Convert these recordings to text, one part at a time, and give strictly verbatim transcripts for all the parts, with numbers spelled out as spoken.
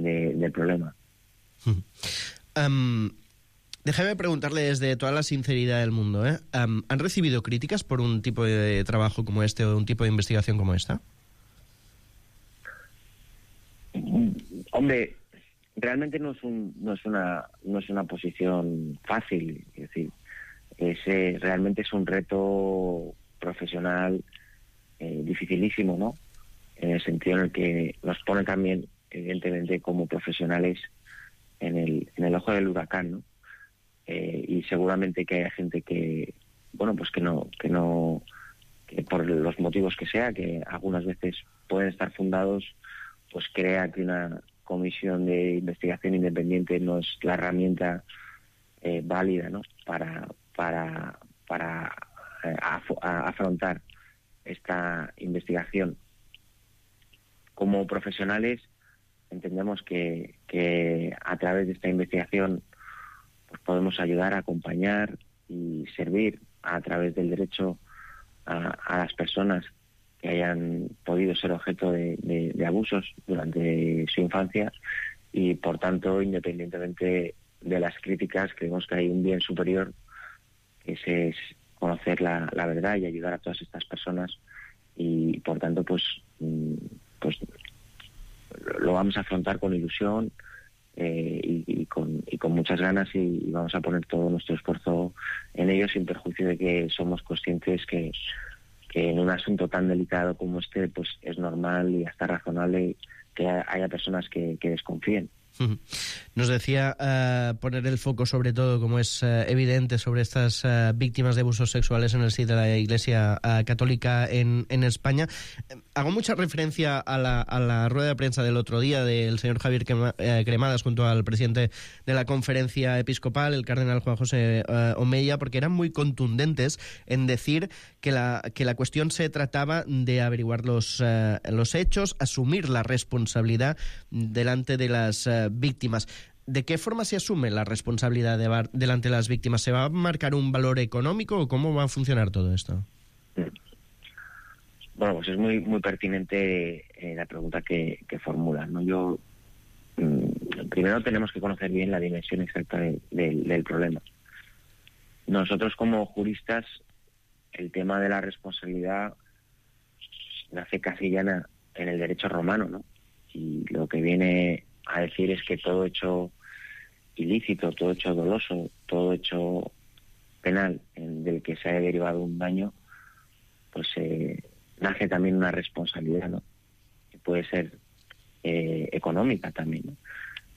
de, del problema. Um, déjame preguntarle desde toda la sinceridad del mundo, ¿eh? Um, ¿Han recibido críticas por un tipo de trabajo como este o un tipo de investigación como esta? Hombre, realmente no es un, no es una no es una posición fácil, es decir, es, eh, realmente es un reto profesional eh, dificilísimo, ¿no? En el sentido en el que nos pone también, evidentemente, como profesionales en el en el ojo del huracán, ¿no? Eh, y seguramente que haya gente que, bueno, pues que no que no que por los motivos que sea, que algunas veces pueden estar fundados, pues crea que una comisión de investigación independiente no es la herramienta eh, válida, ¿no? para para para eh, af- a afrontar esta investigación. Como profesionales entendemos que, que a través de esta investigación pues podemos ayudar a acompañar y servir a través del derecho a, a las personas que hayan podido ser objeto de, de, de abusos durante su infancia, y por tanto, independientemente de las críticas, creemos que hay un bien superior, que ese es conocer la, la verdad y ayudar a todas estas personas, y por tanto pues pues lo vamos a afrontar con ilusión eh, y, y, con, y con muchas ganas, y, y vamos a poner todo nuestro esfuerzo en ello, sin perjuicio de que somos conscientes que que en un asunto tan delicado como este pues es normal y hasta razonable que haya personas que, que desconfíen. Nos decía uh, poner el foco sobre todo, como es uh, evidente, sobre estas uh, víctimas de abusos sexuales en el sitio de la Iglesia uh, Católica en, en España. Eh, hago mucha referencia a la, a la rueda de prensa del otro día del señor Javier Cremadas junto al presidente de la Conferencia Episcopal, el cardenal Juan José uh, Omeya, porque eran muy contundentes en decir que la, que la cuestión se trataba de averiguar los, uh, los hechos, asumir la responsabilidad delante de las uh, víctimas. ¿De qué forma se asume la responsabilidad de bar- delante de las víctimas? ¿Se va a marcar un valor económico o cómo va a funcionar todo esto? Bueno, pues es muy muy pertinente eh, la pregunta que, que formulan, ¿no? Yo mmm, primero tenemos que conocer bien la dimensión exacta de, de, del problema. Nosotros como juristas, el tema de la responsabilidad nace casi ya en, en el derecho romano, ¿no? Y lo que viene a decir es que todo hecho ilícito, todo hecho doloso, todo hecho penal en, del que se haya derivado un daño, pues eh, nace también una responsabilidad, ¿no? Que puede ser eh, económica también, ¿no?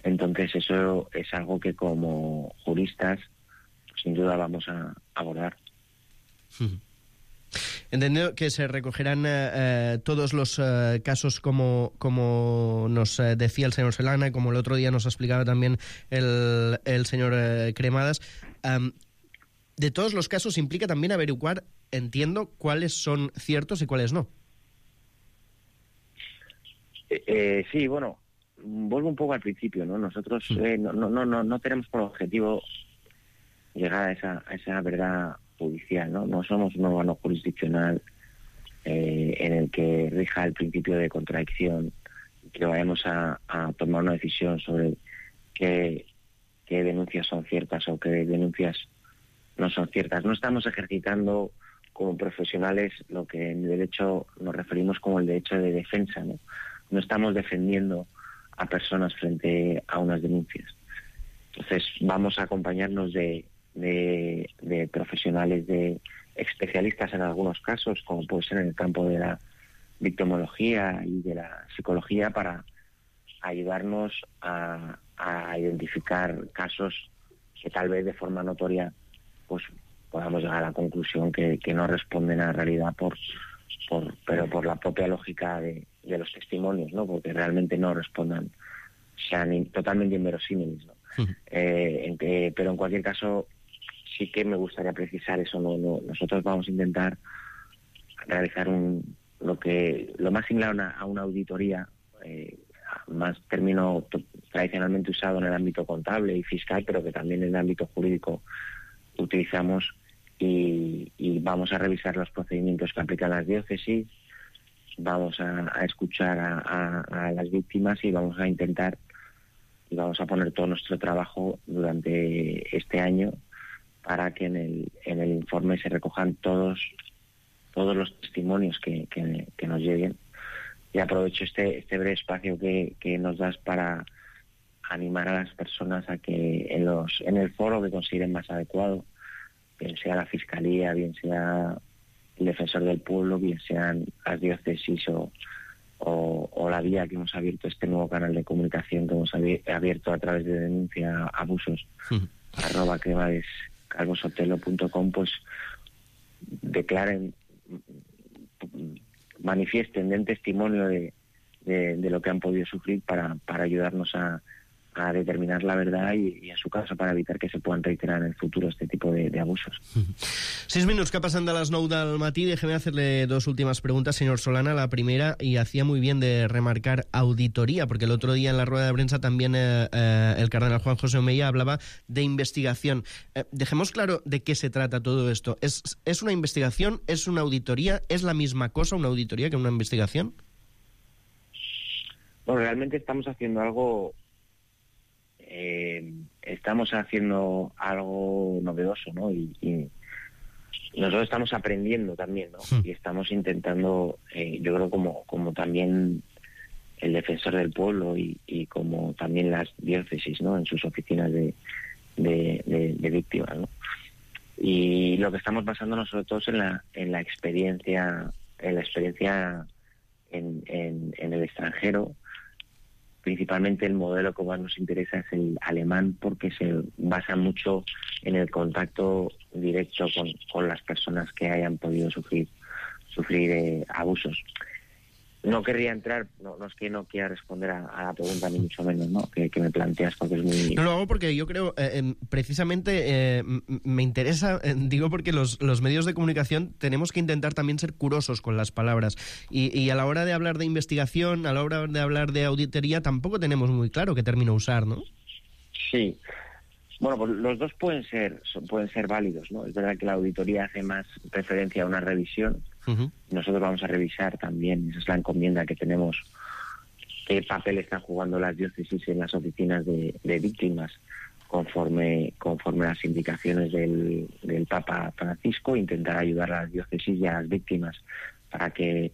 Entonces eso es algo que como juristas pues, sin duda vamos a abordar. Sí. Entendido que se recogerán eh, todos los eh, casos como, como nos eh, decía el señor Solana, como el otro día nos explicaba también el, el señor eh, Cremadas. Um, de todos los casos implica también averiguar, entiendo, cuáles son ciertos y cuáles no. Eh, eh, sí, bueno, vuelvo un poco al principio, ¿no? Nosotros sí. eh, no, no, no, no tenemos por objetivo llegar a esa, a esa verdad judicial, ¿no? No somos un órgano jurisdiccional eh, en el que rija el principio de contradicción, que vayamos a, a tomar una decisión sobre qué, qué denuncias son ciertas o qué denuncias no son ciertas. No estamos ejercitando como profesionales lo que en derecho nos referimos como el derecho de defensa, ¿no? No estamos defendiendo a personas frente a unas denuncias. Entonces vamos a acompañarnos de De, de profesionales, de especialistas en algunos casos, como puede ser en el campo de la victimología y de la psicología, para ayudarnos a, a identificar casos que tal vez de forma notoria pues podamos llegar a la conclusión que, que no responden a la realidad por, por pero por la propia lógica de, de los testimonios, ¿no? Porque realmente no respondan, sean in, totalmente inverosímiles, ¿no? Uh-huh. eh, en que, pero en cualquier caso sí que me gustaría precisar eso, no, no, nosotros vamos a intentar realizar un lo que lo más similar a una, a una auditoría, eh, más término t- tradicionalmente usado en el ámbito contable y fiscal, pero que también en el ámbito jurídico utilizamos, y, y vamos a revisar los procedimientos que aplican las diócesis, vamos a, a escuchar a, a, a las víctimas y vamos a intentar y vamos a poner todo nuestro trabajo durante este año para que en el, en el informe se recojan todos, todos los testimonios que, que, que nos lleguen. Y aprovecho este, este breve espacio que, que nos das para animar a las personas a que en, los, en el foro que consideren más adecuado, bien sea la Fiscalía, bien sea el Defensor del Pueblo, bien sean las diócesis o, o, o la vía que hemos abierto, este nuevo canal de comunicación que hemos abierto a través de denuncia abusos, sí. arroba cremades calvo sotelo punto com, pues declaren, manifiesten, den testimonio de, de, de lo que han podido sufrir para, para ayudarnos a, a determinar la verdad y, y en su caso para evitar que se puedan reiterar en el futuro este tipo de, de abusos. Seis minutos que pasan de las nou del matí. Déjeme hacerle dos últimas preguntas, señor Solana. La primera, y hacía muy bien de remarcar auditoría, porque el otro día en la rueda de prensa también eh, eh, el cardenal Juan José Omeya hablaba de investigación. Eh, dejemos claro de qué se trata todo esto. ¿Es, ¿Es una investigación? ¿Es una auditoría? ¿Es la misma cosa una auditoría que una investigación? Bueno, realmente estamos haciendo algo Eh, estamos haciendo algo novedoso, ¿no? Y, y nosotros estamos aprendiendo también, ¿no? Sí. Y estamos intentando, eh, yo creo como, como también el Defensor del Pueblo y, y como también las diócesis, ¿no? En sus oficinas de, de, de, de víctimas, ¿no? Y lo que estamos basándonos sobre todo es en la, en la experiencia, en la experiencia en, en, en el extranjero. Principalmente el modelo que más nos interesa es el alemán, porque se basa mucho en el contacto directo con, con las personas que hayan podido sufrir sufrir eh, abusos. No querría entrar, no, no es que no quiera responder a, a la pregunta, ni mucho menos, ¿no? Que, que me planteas, porque es muy... No lo hago porque yo creo, eh, precisamente, eh, me interesa, eh, digo porque los, los medios de comunicación tenemos que intentar también ser curosos con las palabras. Y, y a la hora de hablar de investigación, a la hora de hablar de auditoría, tampoco tenemos muy claro qué término usar, ¿no? Sí. Bueno, pues los dos pueden ser, pueden ser válidos, ¿no? Es verdad que la auditoría hace más referencia a una revisión. Uh-huh. Nosotros vamos a revisar también, esa es la encomienda que tenemos, qué papel están jugando las diócesis en las oficinas de, de víctimas conforme conforme a las indicaciones del, del Papa Francisco, intentar ayudar a las diócesis y a las víctimas para que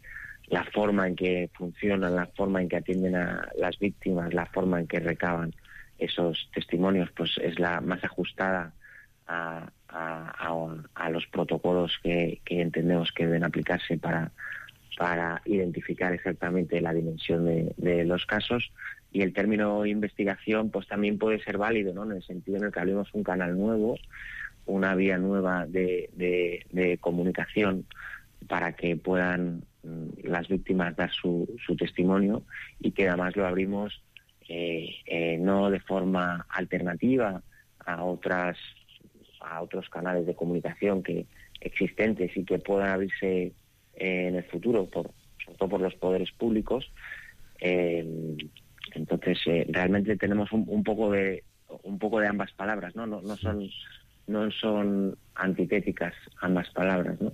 la forma en que funcionan, la forma en que atienden a las víctimas, la forma en que recaban esos testimonios, pues es la más ajustada a, a, a, a los protocolos que, que entendemos que deben aplicarse para, para identificar exactamente la dimensión de, de los casos. Y el término investigación pues también puede ser válido, ¿no? En el sentido en el que abrimos un canal nuevo, una vía nueva de, de, de comunicación para que puedan mm, las víctimas dar su, su testimonio, y que además lo abrimos eh, eh, no de forma alternativa a otras a otros canales de comunicación que existentes y que puedan abrirse eh, en el futuro, por, sobre todo por los poderes públicos. Eh, entonces eh, realmente tenemos un, un poco de un poco de ambas palabras, ¿no? No, no son no son antitéticas ambas palabras, ¿no?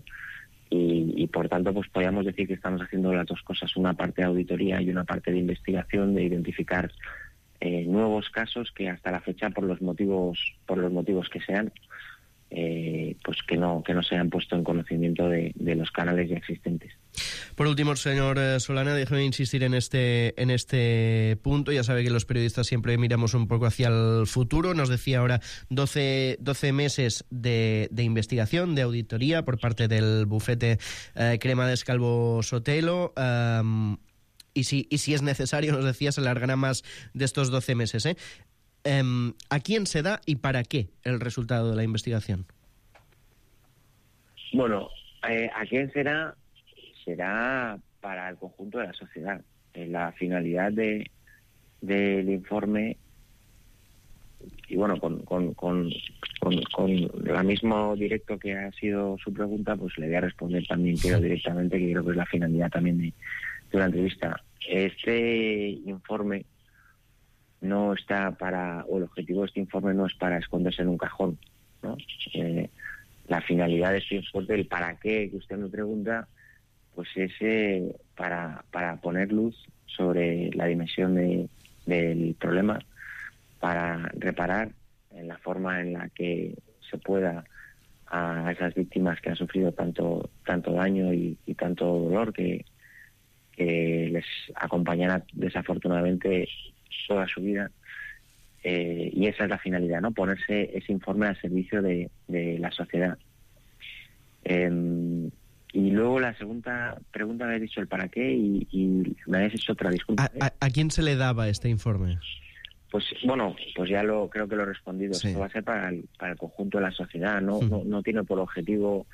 Y, y por tanto pues podríamos decir que estamos haciendo las dos cosas, una parte de auditoría y una parte de investigación, de identificar eh, nuevos casos que hasta la fecha, por los motivos por los motivos que sean, eh, pues que no que no se hayan puesto en conocimiento de, de los canales ya existentes. Por último, señor Solana, déjeme insistir en este en este punto. Ya sabe que los periodistas siempre miramos un poco hacia el futuro. Nos decía ahora doce, doce meses de, de investigación, de auditoría por parte del bufete eh, Cremades Calvo Sotelo. Um, y, si, y si es necesario, nos decía, se alargará más de estos doce meses. ¿eh? Um, ¿A quién se da y para qué el resultado de la investigación? Bueno, eh, ¿a quién será? Será para el conjunto de la sociedad. Eh, la finalidad de del informe, y bueno, con, con, con, con, con el mismo directo que ha sido su pregunta, pues le voy a responder también, quiero directamente, que creo que es la finalidad también de, de la entrevista. Este informe no está para, o el objetivo de este informe no es para esconderse en un cajón, ¿no? Eh, la finalidad de este informe, el para qué que usted me pregunta, pues es eh, para, para poner luz sobre la dimensión de, del problema, para reparar en la forma en la que se pueda a esas víctimas que han sufrido tanto tanto daño y, y tanto dolor que, que les acompañará desafortunadamente toda su vida. Eh, y esa es la finalidad, ¿no? Ponerse ese informe al servicio de, de la sociedad. Eh, y luego la segunda pregunta me habéis dicho el para qué y, y me habéis hecho otra, disculpa. ¿A, a, ¿A quién se le daba este informe? Pues bueno, pues ya lo creo que lo he respondido. Sí. Esto va a ser para el, para el conjunto de la sociedad, no, Uh-huh. no, no tiene por objetivo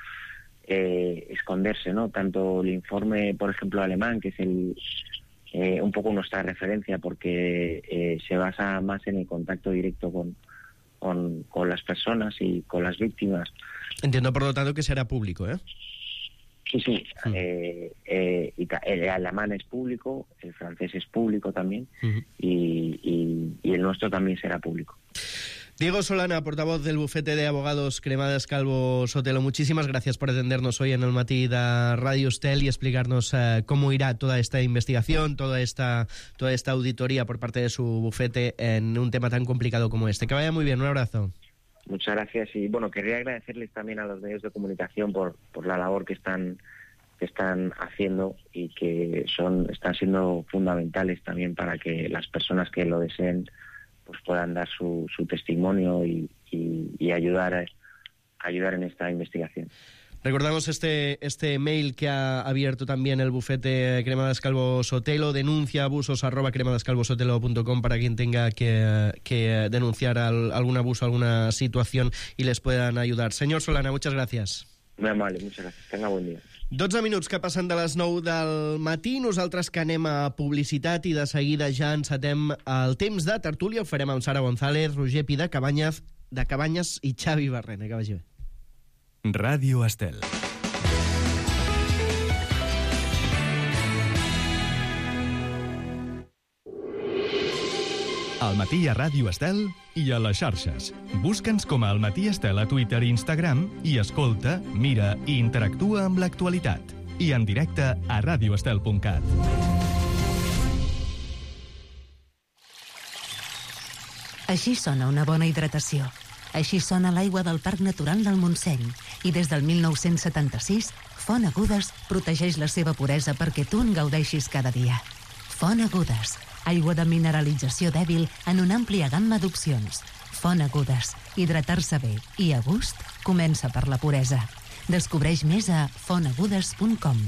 eh, esconderse, ¿no? Tanto el informe, por ejemplo, alemán, que es el eh, un poco nuestra referencia, porque eh, se basa más en el contacto directo con, con, con las personas y con las víctimas. Entiendo, por lo tanto, que será público, ¿eh? Sí, sí. Uh-huh. Eh, eh, y ta- el alemán es público, el francés es público también, Uh-huh. y, y, y el nuestro también será público. Diego Solana, portavoz del bufete de abogados Cremades Calvo Sotelo, muchísimas gracias por atendernos hoy en el matí de Radio Estel y explicarnos uh, cómo irá toda esta investigación, toda esta, toda esta auditoría por parte de su bufete en un tema tan complicado como este. Que vaya muy bien, un abrazo. Muchas gracias y bueno, querría agradecerles también a los medios de comunicación por, por la labor que están que están haciendo y que son están siendo fundamentales también para que las personas que lo deseen pues puedan dar su, su testimonio y, y, y ayudar a, ayudar en esta investigación. Recordamos este, este mail que ha abierto también el bufete Cremades Calvo Sotelo, denuncia abusos arroba cremadescalvosotelo punto com para quien tenga que, que denunciar al, algún abuso, alguna situación y les puedan ayudar. Señor Solana, muchas gracias. Muy amable, muchas gracias. Tenga buen día. dotze minuts que passen de les nou del matí, nosaltres que anem a publicitat i de seguida ja encetem el temps de tertúlia. Ho farem amb Sara González, Roger Pi de Cabanyes, de Cabanyes i Xavi Barrena. Que vagi bé. Ràdio Estel. Al matí a Ràdio Estel i a les xarxes. Busca'ns com a Al Matí Estel a Twitter i Instagram i escolta, mira i interactua amb l'actualitat. I en directe a radioestel punt cat. Així sona una bona hidratació. Així sona l'aigua del Parc Natural del Montseny. I des del mil nou-cents setanta-sis, Font Agudes protegeix la seva puresa perquè tu en gaudeixis cada dia. Font Agudes, aigua de mineralització dèbil en una àmplia gamma d'opcions. Font Agudes, hidratar-se bé i a gust comença per la puresa. Descobreix més a font agudes punt com.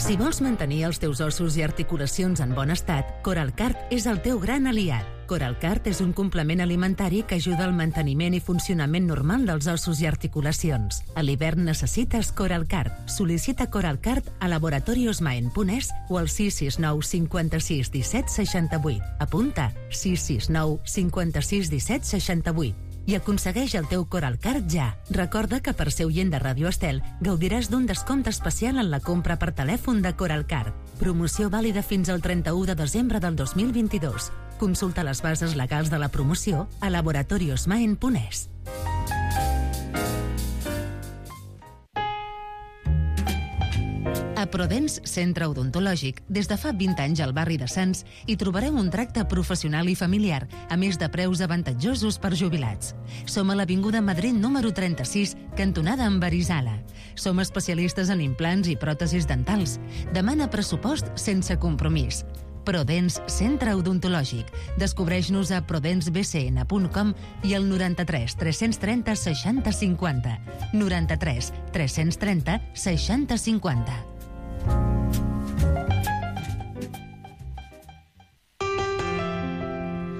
Si vols mantenir els teus ossos i articulacions en bon estat, Coralcart és el teu gran aliat. Coralcart és un complement alimentari que ajuda al manteniment i funcionament normal dels ossos i articulacions. A l'hivern necessites Coralcart. Sol·licita Coralcart a laboratoriosmaen punt es o al sis sis nou cinquanta-sis disset seixanta-vuit. Apunta sis sis nou cinquanta-sis disset seixanta-vuit. I aconsegueix el teu Coralcart ja. Recorda que per ser oient de Ràdio Estel gaudiràs d'un descompte especial en la compra per telèfon de Coralcart. Promoció vàlida fins al trenta-u de desembre del dos mil vint-i-dos. Consulta les bases legals de la promoció a laboratoriosmaen punt es. A Prodens Centre Odontològic, des de fa vint anys al barri de Sants, hi trobareu un tracte professional i familiar, a més de preus avantatjosos per jubilats. Som a l'Avinguda Madrid número trenta-sis, cantonada amb Arizala. Som especialistes en implants i pròtesis dentals. Demana pressupost sense compromís. Prodens Centre Odontològic. Descobreix-nos a prodens b c n punt com i al noranta-tres tres-cents trenta seixanta cinquanta. noranta-tres tres-cents trenta seixanta cinquanta.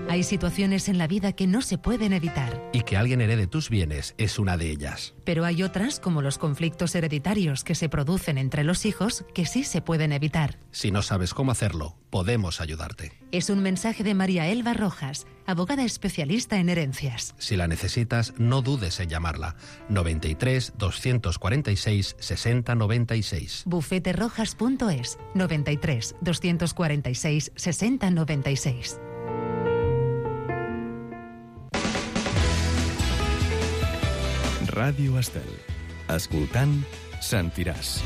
Hay situaciones en la vida que no se pueden evitar. Y que alguien herede tus bienes es una de ellas. Pero hay otras, como los conflictos hereditarios que se producen entre los hijos, que sí se pueden evitar. Si no sabes cómo hacerlo, podemos ayudarte. Es un mensaje de María Elba Rojas, abogada especialista en herencias. Si la necesitas, no dudes en llamarla. noventa y tres, doscientos cuarenta y seis, sesenta noventa y seis. bufete rojas punto es, noventa y tres, doscientos cuarenta y seis, sesenta noventa y seis. Ràdio Estel. Escoltant, sentiràs.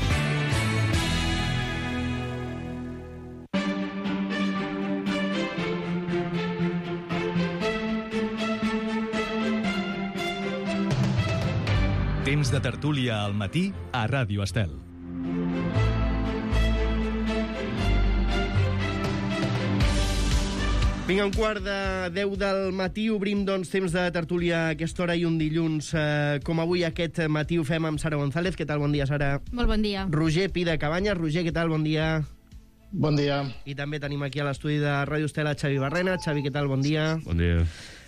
Temps de tertúlia al matí a Ràdio Estel. Vinga, un quart de deu del matí, obrim, doncs, temps de tertúlia a aquesta hora i un dilluns. Eh, com avui aquest matí ho fem amb Sara González. Què tal? Bon dia, Sara. Molt bon dia. Roger Pi de Cabanyes. Roger, què tal? Bon dia. Bon dia. I també tenim aquí a l'estudi de Ràdio Estela Xavi Barrena. Xavi, què tal? Bon dia. Bon dia.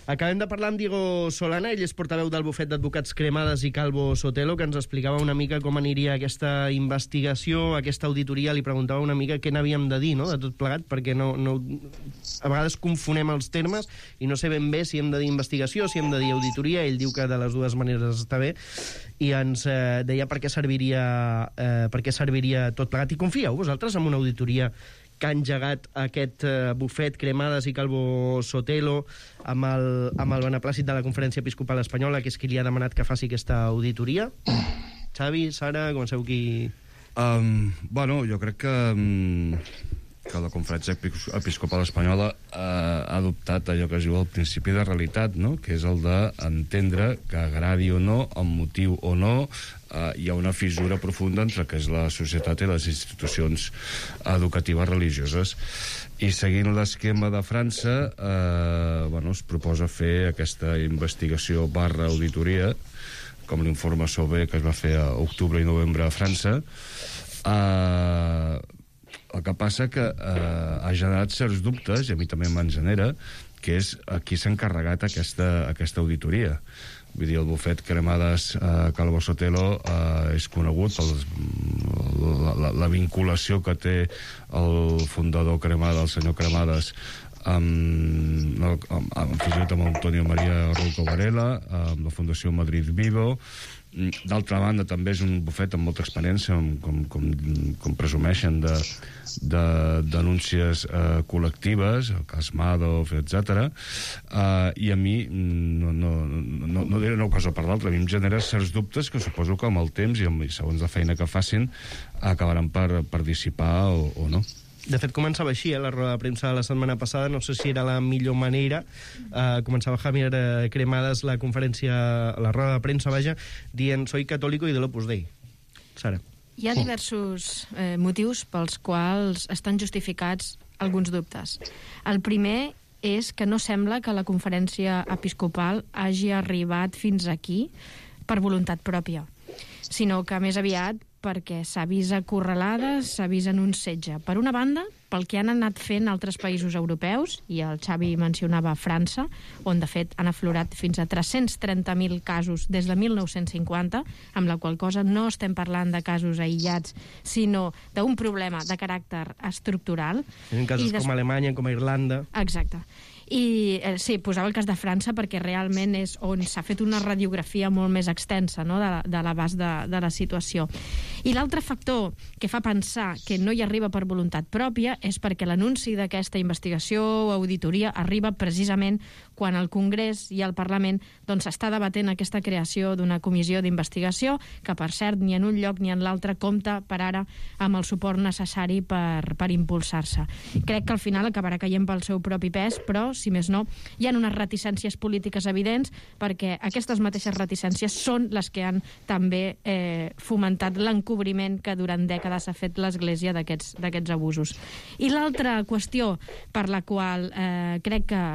Acabem de parlar amb Diego Solana, ell és portaveu del bufet d'advocats Cremades i Calvo Sotelo, que ens explicava una mica com aniria aquesta investigació, aquesta auditoria. Li preguntava una mica què n'havíem de dir, no?, de tot plegat, perquè no, no, a vegades confonem els termes i no sé ben bé si hem de dir investigació, si hem de dir auditoria. Ell diu que de les dues maneres està bé, i ens eh, deia per què serviria, eh, per què serviria tot plegat. I confieu vosaltres en una auditoria que ha engegat aquest uh, bufet Cremades i Calvo Sotelo amb el, amb el beneplàcit de la Conferència Episcopal Espanyola, que és qui li ha demanat que faci aquesta auditoria? Xavi, Sara, comenceu qui... Um, bueno, jo crec que, um, que la Conferència Episcopal Espanyola uh, ha adoptat allò que es diu el principi de realitat, no?, que és el d'entendre que, agradi o no, amb motiu o no, Uh, hi ha una fissura profunda entre el que és la societat i les institucions educatives religioses. I seguint l'esquema de França, uh, bueno, es proposa fer aquesta investigació barra auditoria, com l'informe Sauvé que es va fer a octubre i novembre a França. Uh, el que passa que uh, ha generat certs dubtes, i a mi també me'n genera, que és a qui s'ha encarregat aquesta, aquesta auditoria. Vull dir, el bufet Cremades eh, Calvo Sotelo eh, és conegut per la, la, la vinculació que té el fundador Cremades, el senyor Cremades, amb, no, amb, amb, fins i tot amb Antonio María Rouco Varela, amb la Fundació Madrid Vivo. D'altra banda, també és un bufet amb molta experiència, com, com, com presumeixen, de, de denúncies eh, col·lectives, el cas Madoff, etcètera. Eh, I a mi, no, no, no, no diré una cosa per l'altra, a mi em genera certs dubtes que suposo que amb el temps i, amb, i segons la feina que facin acabaran per, per dissipar o, o no. De fet, començava així, eh, la roda de premsa de la setmana passada. No sé si era la millor manera. Eh, començava Javier Cremades la conferència, la roda de premsa, vaja, dient «Soy católico y del Opus Dei». Sara. Hi ha diversos eh, motius pels quals estan justificats alguns dubtes. El primer és que no sembla que la conferència episcopal hagi arribat fins aquí per voluntat pròpia, sinó que més aviat perquè s'ha vist acorralada, s'ha vist en un setge. Per una banda, pel que han anat fent altres països europeus, i el Xavi mencionava França, on de fet han aflorat fins a tres-cents trenta mil casos des de mil nou-cents cinquanta, amb la qual cosa no estem parlant de casos aïllats, sinó d'un problema de caràcter estructural. En casos des... com a Alemanya, com a Irlanda. Exacte. I eh, sí, posava el cas de França perquè realment és on s'ha fet una radiografia molt més extensa, no?, de, de l'abast de, de la situació. I l'altre factor que fa pensar que no hi arriba per voluntat pròpia és perquè l'anunci d'aquesta investigació o auditoria arriba precisament quan el Congrés i el Parlament doncs està debatent aquesta creació d'una comissió d'investigació que, per cert, ni en un lloc ni en l'altre compta per ara amb el suport necessari per, per impulsar-se. Crec que al final acabarà caient pel seu propi pes, però si més no, hi ha unes reticències polítiques evidents perquè aquestes mateixes reticències són les que han també eh, fomentat l'encobriment que durant dècades ha fet l'Església d'aquests d'aquests abusos. I l'altra qüestió per la qual eh, crec que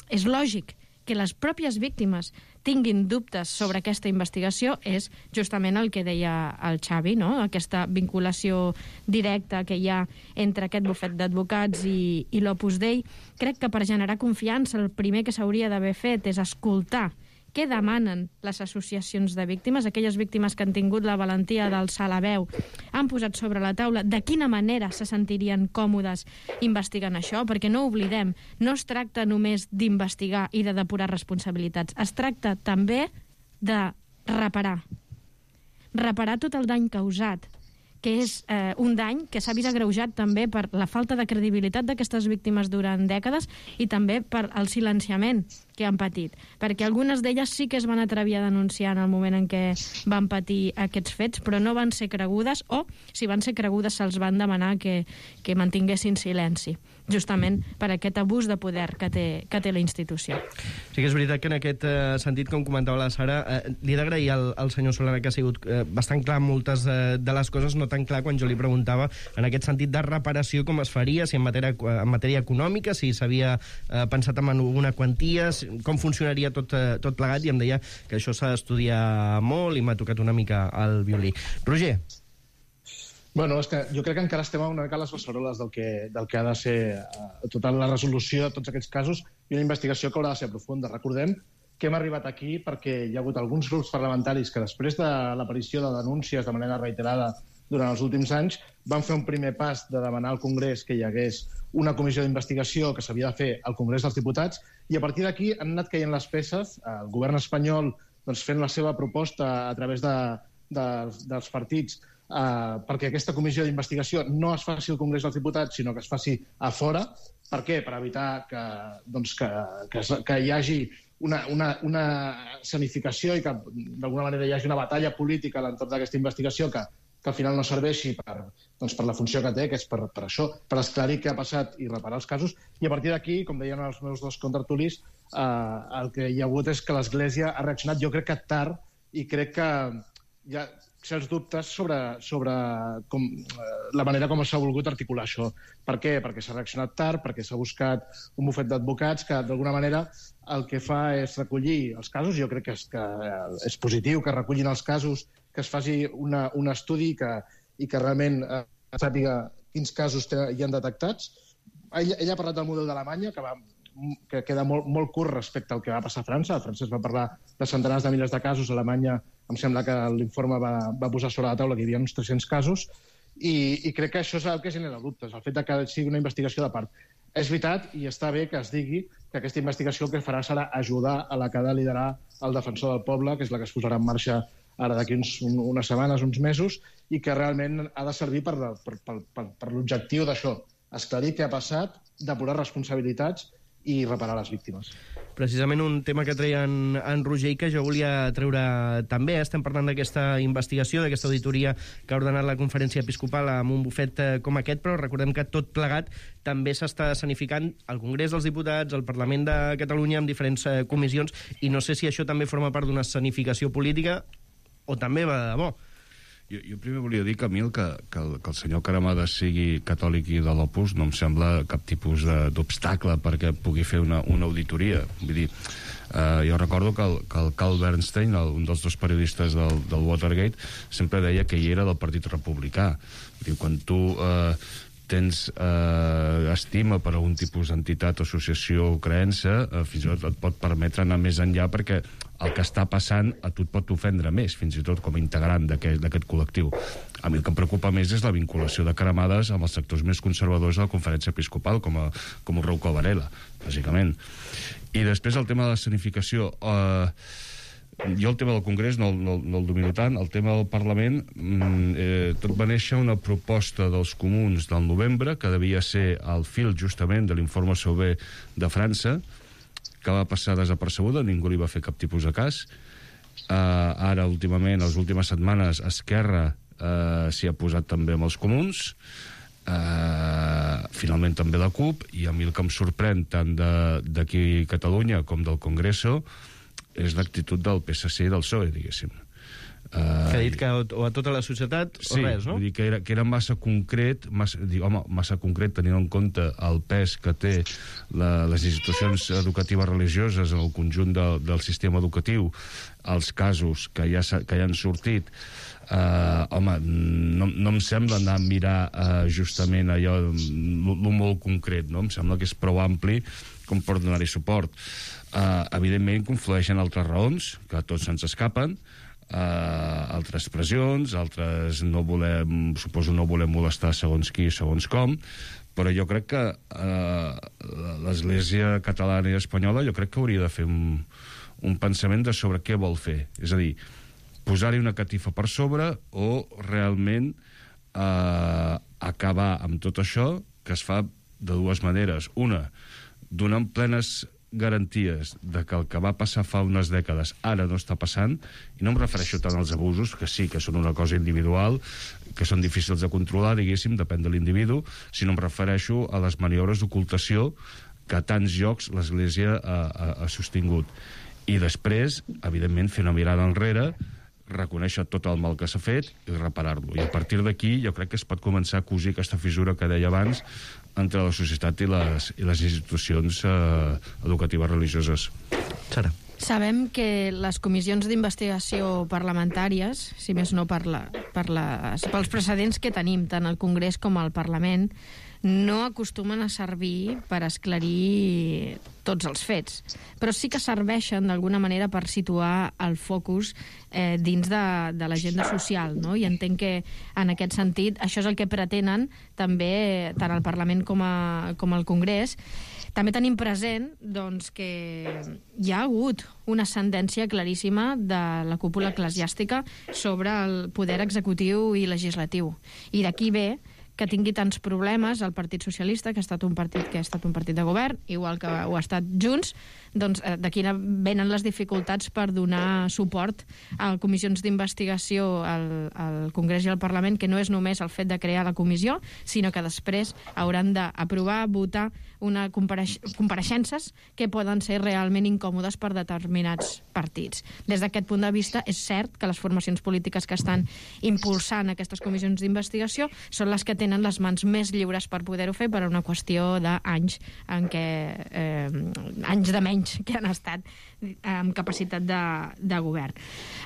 és lògic que les pròpies víctimes tinguin dubtes sobre aquesta investigació és justament el que deia el Xavi, no?, aquesta vinculació directa que hi ha entre aquest bufet d'advocats i, i l'Opus Dei. Crec que per generar confiança el primer que s'hauria d'haver fet és escoltar què demanen les associacions de víctimes, aquelles víctimes que han tingut la valentia d'alçar la veu, han posat sobre la taula de quina manera se sentirien còmodes investigant això, perquè no oblidem, no es tracta només d'investigar i de depurar responsabilitats, es tracta també de reparar. Reparar tot el dany causat, que és eh, un dany que s'ha vist agreujat també per la falta de credibilitat d'aquestes víctimes durant dècades i també per el silenciament que han patit, perquè algunes d'elles sí que es van atrevir a denunciar en el moment en què van patir aquests fets, però no van ser cregudes, o si van ser cregudes se'ls van demanar que, que mantinguessin silenci, justament per aquest abús de poder que té, que té la institució. Sí que és veritat que en aquest eh, sentit, com comentava la Sara, eh, li he d'agrair al, al senyor Solana que ha sigut eh, bastant clar moltes eh, de les coses, no tan clar quan jo li preguntava en aquest sentit de reparació com es faria, si en matèria, en matèria econòmica, si s'havia eh, pensat en alguna quantia, com funcionaria tot, eh, tot plegat, i em deia que això s'ha d'estudiar molt i m'ha tocat una mica el violí. Roger? Bueno, és que jo crec que encara estem una mica a les beceroles del que, del que ha de ser eh, tota la resolució de tots aquests casos i una investigació que haurà de ser profunda. Recordem que hem arribat aquí perquè hi ha hagut alguns grups parlamentaris que després de l'aparició de denúncies de manera reiterada durant els últims anys van fer un primer pas de demanar al Congrés que hi hagués una comissió d'investigació que s'havia de fer al Congrés dels Diputats, i a partir d'aquí han anat caient les peces, el govern espanyol doncs, fent la seva proposta a través de, de, dels partits eh, perquè aquesta comissió d'investigació no es faci al Congrés dels Diputats, sinó que es faci a fora. Per què? Per evitar que, doncs, que, que, que hi hagi una, una, una escenificació i que d'alguna manera hi hagi una batalla política a l'entorn d'aquesta investigació que, que al final no serveixi per, doncs, per la funció que té, que és per, per això, per esclarir què ha passat i reparar els casos. I a partir d'aquí, com deien els meus dos contertulis, eh, el que hi ha hagut és que l'Església ha reaccionat, jo crec que tard, i crec que hi ha certs dubtes sobre, sobre com, eh, la manera com s'ha volgut articular això. Per què? Perquè s'ha reaccionat tard, perquè s'ha buscat un bufet d'advocats que, d'alguna manera, el que fa és recollir els casos. Jo crec que és, que és positiu que recullin els casos, que es faci una, un estudi que, i que realment eh, sàpiga quins casos hi han detectats. Ell, ell ha parlat del model d'Alemanya, que, va, que queda molt, molt curt respecte al que va passar a França. A França es va parlar de centenars de milers de casos. A Alemanya em sembla que l'informe va, va posar sobre la taula que hi havia uns tres-cents casos, i, i crec que això és el que genera dubtes, el fet de que sigui una investigació de part. És veritat, i està bé que es digui que aquesta investigació el que farà serà ajudar a la que ha de liderar el defensor del poble, que és la que es posarà en marxa ara d'aquí uns, un, unes setmanes, uns mesos, i que realment ha de servir per, per, per, per, per l'objectiu d'això, esclarir què ha passat, depurar responsabilitats i reparar les víctimes. Precisament un tema que treia en, en Roger i que jo volia treure també. Estem parlant d'aquesta investigació, d'aquesta auditoria que ha ordenat la Conferència Episcopal amb un bufet com aquest, però recordem que tot plegat també s'està escenificant al Congrés dels Diputats, al Parlament de Catalunya, amb diferents eh, comissions, i no sé si això també forma part d'una escenificació política o també va de debò. Jo, jo primer volia dir, Camil, que, que, el, que el senyor Caramades sigui catòlic i de l'Opus no em sembla cap tipus d'obstacle perquè pugui fer una, una auditoria. Vull dir, eh, jo recordo que el, que el Carl Bernstein, el, un dels dos periodistes del, del Watergate, sempre deia que ell era del Partit Republicà. Vull dir, quan tu eh, tens eh, estima per algun tipus d'entitat, associació o creença, eh, fins i tot et pot permetre anar més enllà perquè el que està passant a tu et pot ofendre més, fins i tot com a integrant d'aquest col·lectiu. A mi el que em preocupa més és la vinculació de Caramades amb els sectors més conservadors de la Conferència Episcopal, com, a, com el Rouco Varela, bàsicament. I després el tema de l'escenificació. Eh, jo el tema del Congrés no, no, no el domino tant. El tema del Parlament, eh, tot va néixer una proposta dels comuns del novembre, que devia ser al fil justament de l'informe Sauvé de França, que va passar desapercebuda, ningú li va fer cap tipus de cas. Uh, ara, últimament, les últimes setmanes, Esquerra uh, s'hi ha posat també amb els comuns, uh, finalment també la CUP, i a mi el que em sorprèn tant d'aquí a Catalunya com del Congreso és l'actitud del P S C i del P S O E, diguéssim. Uh, que ha dit que o a tota la societat o sí, res, no? Vull dir que era, que era massa concret, massa, dic, home, massa concret tenint en compte el pes que té la, les institucions educatives religioses en el conjunt de, del sistema educatiu, els casos que ja, que ja han sortit. Uh, home, no, no em sembla anar a mirar uh, justament allò el molt concret, no? Em sembla que és prou ampli com per donar-hi suport. Uh, evidentment conflueixen altres raons que a tots se'ns escapen, Uh, altres pressions, altres no volem, suposo no volem molestar segons qui, segons com, però jo crec que uh, l'Església catalana i espanyola jo crec que hauria de fer un, un pensament de sobre què vol fer, és a dir, posar-hi una catifa per sobre o realment eh, acabar amb tot això, que es fa de dues maneres. Una, donant plenes garanties de que el que va passar fa unes dècades ara no està passant, i no em refereixo tant als abusos, que sí que són una cosa individual, que són difícils de controlar, diguéssim, depèn de l'individu, sinó em refereixo a les maniobres d'ocultació que a tants llocs l'Església ha, ha, ha sostingut. I després, evidentment, fer una mirada enrere, reconèixer tot el mal que s'ha fet i reparar-lo. I a partir d'aquí jo crec que es pot començar a cosir aquesta fissura que deia abans entre la societat i les, i les institucions eh, educatives religioses. Sara. Sabem que les comissions d'investigació parlamentàries, si més no per la, per les, pels precedents que tenim tant al Congrés com al Parlament, no acostumen a servir per esclarir tots els fets, però sí que serveixen d'alguna manera per situar el focus eh, dins de, de l'agenda social, no? I entenc que en aquest sentit això és el que pretenen també tant al Parlament com, a, com al Congrés. També tenim present doncs, que hi ha hagut una ascendència claríssima de la cúpula eclesiàstica sobre el poder executiu i legislatiu. I d'aquí ve que tingui tants problemes el Partit Socialista, que ha estat un partit que ha estat un partit de govern, igual que ho ha estat Junts, doncs d'aquí venen les dificultats per donar suport a comissions d'investigació al, al Congrés i al Parlament, que no és només el fet de crear la comissió, sinó que després hauran d'aprovar, votar una compareix compareixences que poden ser realment incòmodes per determinats partits. Des d'aquest punt de vista, és cert que les formacions polítiques que estan impulsant aquestes comissions d'investigació són les que tenen les mans més lliures per poder-ho fer per una qüestió d'anys en què eh, anys de menys que han estat amb capacitat de, de govern.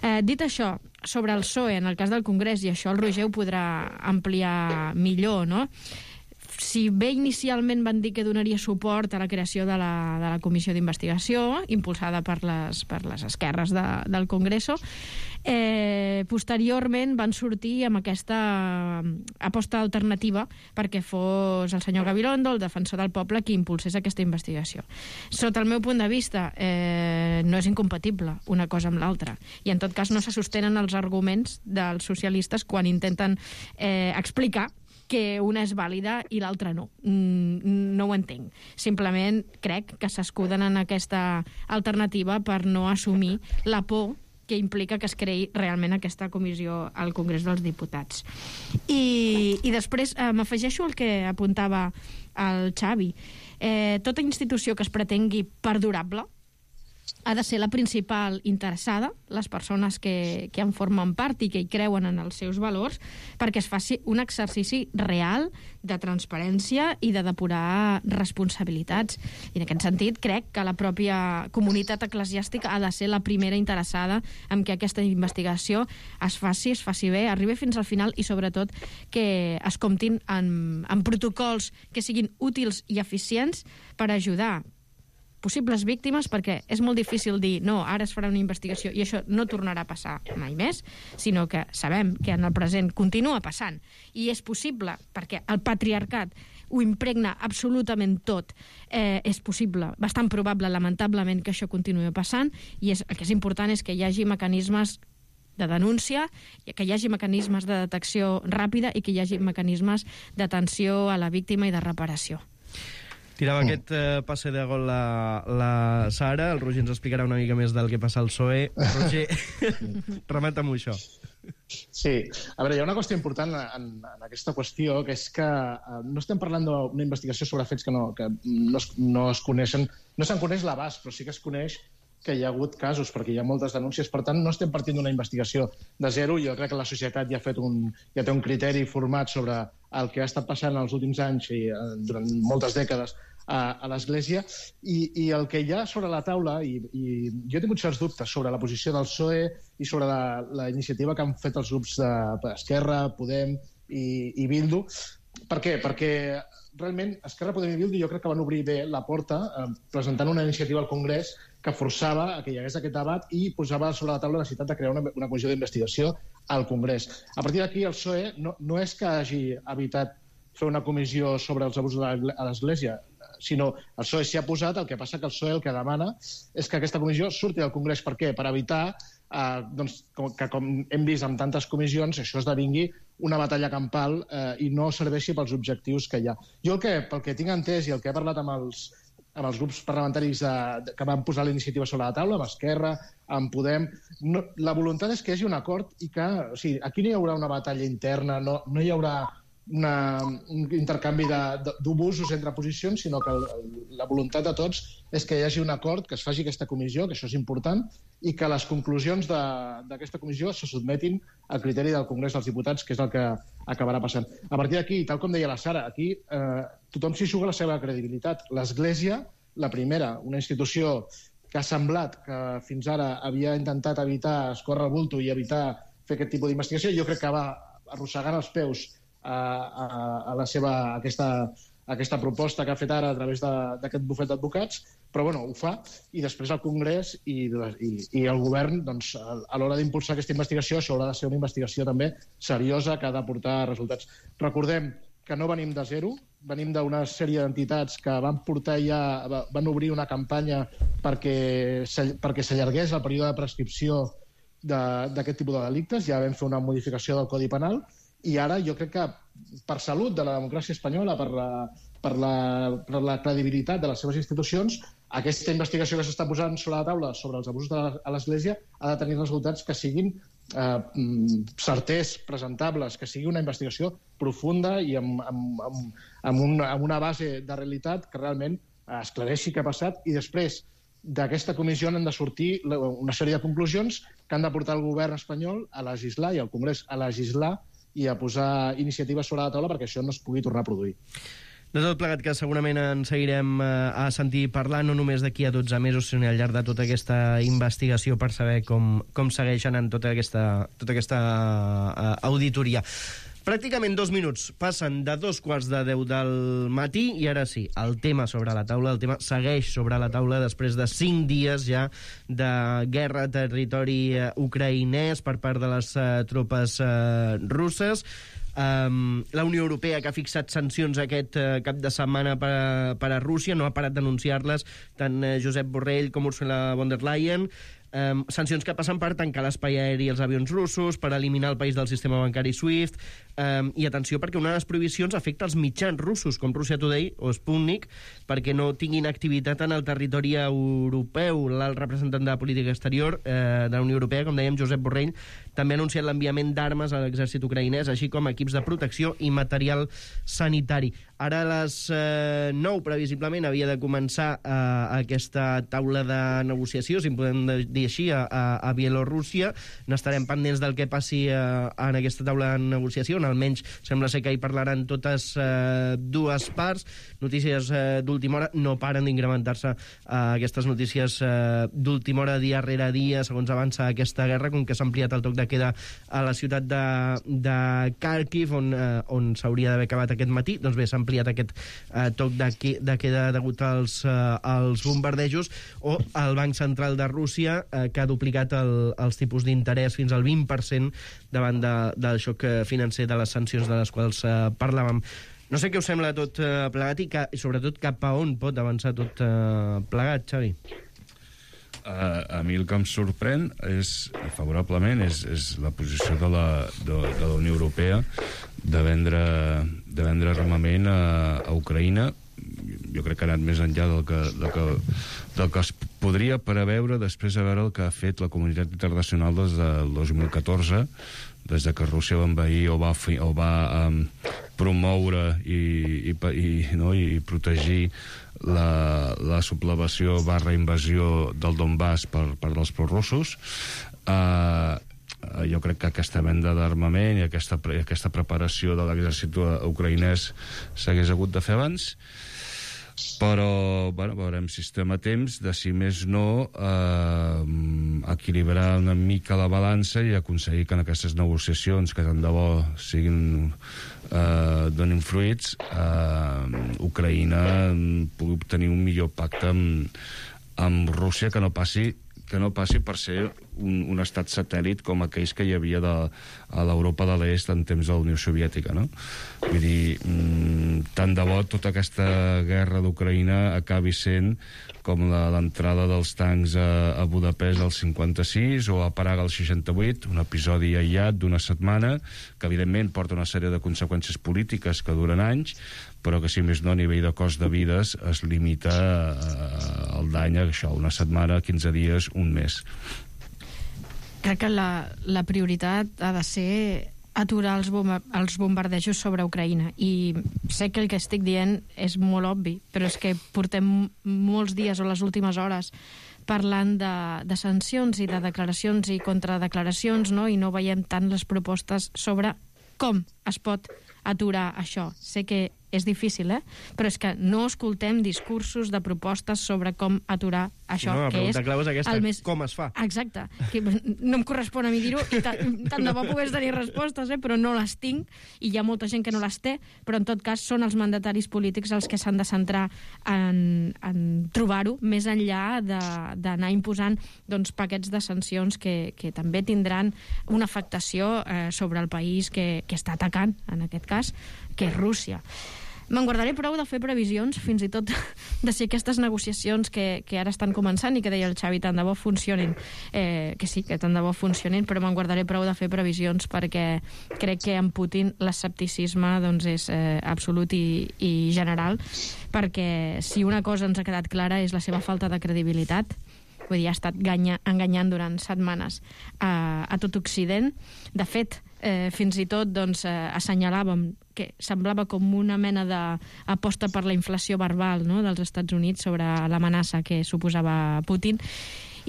Eh, dit això, sobre el P S O E, en el cas del Congrés, i això el Roger ho podrà ampliar millor, no? Si bé inicialment van dir que donaria suport a la creació de la, de la comissió d'investigació, impulsada per les, per les esquerres de, del Congreso, eh, posteriorment van sortir amb aquesta aposta alternativa perquè fos el senyor Gabilondo, el defensor del poble, qui impulsés aquesta investigació. Sota el meu punt de vista, eh, no és incompatible una cosa amb l'altra, i en tot cas no se sostenen els arguments dels socialistes quan intenten eh, explicar que una és vàlida i l'altra no. No ho entenc. Simplement crec que s'escuden en aquesta alternativa per no assumir la por que implica que es creï realment aquesta comissió al Congrés dels Diputats. I, i després eh, m'afegeixo el que apuntava el Xavi. Eh, tota institució que es pretengui perdurable ha de ser la principal interessada, les persones que, que en formen part i que hi creuen en els seus valors, perquè es faci un exercici real de transparència i de depurar responsabilitats. I en aquest sentit crec que la pròpia comunitat eclesiàstica ha de ser la primera interessada en que aquesta investigació es faci, es faci bé, arribi fins al final i sobretot que es comptin en, en protocols que siguin útils i eficients per ajudar possibles víctimes, perquè és molt difícil dir no, ara es farà una investigació i això no tornarà a passar mai més, sinó que sabem que en el present continua passant i és possible, perquè el patriarcat ho impregna absolutament tot. Eh, és possible, bastant probable, lamentablement, que això continuï passant, i és, el que és important és que hi hagi mecanismes de denúncia, que hi hagi mecanismes de detecció ràpida i que hi hagi mecanismes d'atenció a la víctima i de reparació. Tirava mm. aquest uh, passe de gol la, la Sara, el Roger ens explicarà una mica més del que passa al P S O E. Roger, remata-m'ho això. Sí, a veure, hi ha una qüestió important en, en aquesta qüestió, que és que uh, no estem parlant d'una investigació sobre fets que no, que no, es, no es coneixen, no se'n coneix l'abast, però sí que es coneix que hi ha hagut casos, perquè hi ha moltes denúncies. Per tant, no estem partint d'una investigació de zero. Jo crec que la societat ja ha fet un, ja té un criteri format sobre el que ha estat passant els últims anys i eh, durant moltes dècades a, a l'Església, i, i el que hi ha sobre la taula, i, i jo he tingut certs dubtes sobre la posició del P S O E i sobre la, la iniciativa que han fet els grups d'Esquerra, Podem i, i Bildu. Per què? Perquè realment Esquerra, Podem i Bildu jo crec que van obrir bé la porta eh, presentant una iniciativa al Congrés que forçava a que hi hagués aquest debat i posava sobre la taula la necessitat de crear una, una comissió d'investigació al Congrés. A partir d'aquí, el P S O E no, no és que hagi evitat fer una comissió sobre els abusos a l'Església, sinó el P S O E s'hi ha posat, el que passa que el P S O E el que demana és que aquesta comissió surti del Congrés. Per què? Per evitar eh, doncs, que, com hem vist amb tantes comissions, això esdevingui una batalla campal eh, i no serveixi pels objectius que hi ha. Jo el que, pel que tinc entès i el que he parlat amb els, amb els grups parlamentaris de, de, que van posar la iniciativa sobre la taula, amb Esquerra, amb Podem, no, la voluntat és que hi hagi un acord i que, o sigui, aquí no hi haurà una batalla interna, no, no hi haurà una, un intercanvi d'obusos entre posicions, sinó que el, la voluntat de tots és que hi hagi un acord, que es faci aquesta comissió, que això és important, i que les conclusions d'aquesta comissió se sotmetin al criteri del Congrés dels Diputats, que és el que acabarà passant. A partir d'aquí, tal com deia la Sara, aquí eh, tothom s'hi juga la seva credibilitat. L'Església, la primera, una institució que ha semblat que fins ara havia intentat evitar escórrer el bulto i evitar fer aquest tipus d'investigació, jo crec que va arrossegant els peus a, a, a la seva, a aquesta, a aquesta proposta que ha fet ara a través d'aquest bufet d'advocats, però bueno, ho fa, i després el Congrés i, i, i el govern, doncs, a l'hora d'impulsar aquesta investigació, això haurà de ser una investigació també seriosa que ha de portar resultats. Recordem que no venim de zero, venim d'una sèrie d'entitats que van portar ja, van obrir una campanya perquè s'allargués el període de prescripció d'aquest tipus de delictes, ja vam fer una modificació del Codi Penal, i ara jo crec que per salut de la democràcia espanyola, per la, per la, per la credibilitat de les seves institucions, aquesta investigació que s'està posant sobre la taula sobre els abusos a l'Església ha de tenir resultats que siguin eh, certers, presentables, que sigui una investigació profunda i amb, amb, amb, amb, un, amb una base de realitat que realment esclareixi què ha passat, i després d'aquesta comissió han de sortir una sèrie de conclusions que han de portar el govern espanyol a legislar i el Congrés a legislar i a posar iniciatives sobre la taula perquè això no es pugui tornar a produir. De tot plegat, que segurament en seguirem a sentir parlar, no només d'aquí a dotze mesos, sinó al llarg de tota aquesta investigació per saber com, com segueixen en tota aquesta, tota aquesta uh, auditoria. Pràcticament dos minuts passen de dos quarts de deu del matí i ara sí, el tema sobre la taula, el tema segueix sobre la taula després de cinc dies ja de guerra a territori ucraïnès per part de les uh, tropes uh, russes. Um, la Unió Europea, que ha fixat sancions aquest uh, cap de setmana per a, per a Rússia, no ha parat d'anunciar-les tant uh, Josep Borrell com Ursula von der Leyen. Um, sancions que passen per tancar l'espai aeri als avions russos, per eliminar el país del sistema bancari SWIFT, um, i atenció perquè una de les prohibicions afecta els mitjans russos com Russia Today o Sputnik perquè no tinguin activitat en el territori europeu. L'alt representant de política exterior eh, de la Unió Europea, com dèiem, Josep Borrell, també ha anunciat l'enviament d'armes a l'exèrcit ucraïnès, així com equips de protecció i material sanitari. Ara a les eh, nou, previsiblement, havia de començar eh, aquesta taula de negociació, si en podem dir així, a, a, a Bielorússia. N'estarem pendents del que passi eh, en aquesta taula de negociació, on almenys sembla ser que hi parlaran totes eh, dues parts. Notícies eh, d'última hora, no paren d'incrementar-se eh, aquestes notícies eh, d'última hora, dia rere dia, segons avança aquesta guerra, com que s'ha ampliat el toc de queda a la ciutat de, de Kharkiv, on, eh, on s'hauria d'haver acabat aquest matí. Doncs bé, s'ha ampliat aquest eh, toc de, de queda degut als, eh, als bombardejos, o el Banc Central de Rússia, eh, que ha duplicat el, els tipus d'interès fins al vint per cent davant de, del xoc financer de les sancions de les quals eh, parlàvem. No sé què us sembla tot eh, plegat i, que, i sobretot cap a on pot avançar tot eh, plegat, Xavi. Uh, a mi el que em sorprèn és, favorablement, és, és la posició de la, de, de la Unió Europea de vendre, de vendre armament a, a Ucraïna. Jo crec que ha anat més enllà del que, del que, del que es podria preveure després de veure el que ha fet la comunitat internacional des del dos mil catorze, des de que Rússia va envair o va, fi, o va um, promoure i, i, i, no, i protegir la, la sublevació barra invasió del Donbass per part dels prorussos. Uh, jo crec que aquesta venda d'armament i aquesta, aquesta preparació de l'exèrcit ucraïnès s'hagués hagut de fer abans, però bueno, veurem si estem a temps de, si més no, eh, equilibrar una mica la balança i aconseguir que en aquestes negociacions, que tant de bo siguin eh, donin fruits, eh, Ucraïna pugui obtenir un millor pacte amb, amb Rússia, que no passi que no passi per ser un, un estat satèl·lit com aquells que hi havia de, a l'Europa de l'Est en temps de la Unió Soviètica, no? Vull dir, mmm, tant de bo tota aquesta guerra d'Ucraïna acabi sent com l'entrada dels tancs a, a Budapest al cinquanta-sis o a Praga al seixanta-vuit, un episodi aïllat d'una setmana que evidentment porta una sèrie de conseqüències polítiques que duren anys, però que si més no a nivell de cost de vides es limita eh, el dany a això, una setmana, quinze dies, un mes. Crec que la, la prioritat ha de ser aturar els, bomba, els bombardejos sobre Ucraïna, i sé que el que estic dient és molt obvi, però és que portem molts dies o les últimes hores parlant de, de sancions i de declaracions i contradeclaracions, no? I no veiem tant les propostes sobre com es pot aturar això. Sé que és difícil, eh? Però és que no escoltem discursos de propostes sobre com aturar això, no, que és clau és aquesta, el més... com es fa. Exacte. Que no em correspon a mi dir-ho, i tant de bo pogués tenir respostes, eh? Però no les tinc, i hi ha molta gent que no les té, però en tot cas són els mandataris polítics els que s'han de centrar en, en trobar-ho, més enllà d'anar imposant doncs, paquets de sancions que, que també tindran una afectació eh, sobre el país que, que està atacant, en aquest cas, que és Rússia. Me'n guardaré prou de fer previsions, fins i tot de si aquestes negociacions que, que ara estan començant i que deia el Xavi, tant de bo funcionin, eh, que sí, que tant de bo funcionin, però me'n guardaré prou de fer previsions perquè crec que en Putin l'escepticisme doncs, és eh, absolut i, i general, perquè si una cosa ens ha quedat clara és la seva falta de credibilitat. Vull dir, ha estat ganya, enganyant durant setmanes a, a tot Occident. De fet, eh, fins i tot doncs, eh, assenyalàvem que semblava com una mena d'aposta per la inflació verbal, no?, dels Estats Units sobre l'amenaça que suposava Putin,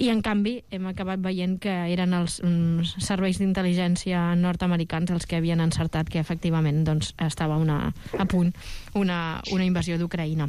i en canvi hem acabat veient que eren els um, serveis d'intel·ligència nord-americans els que havien encertat que efectivament doncs, estava una, a punt una, una invasió d'Ucraïna.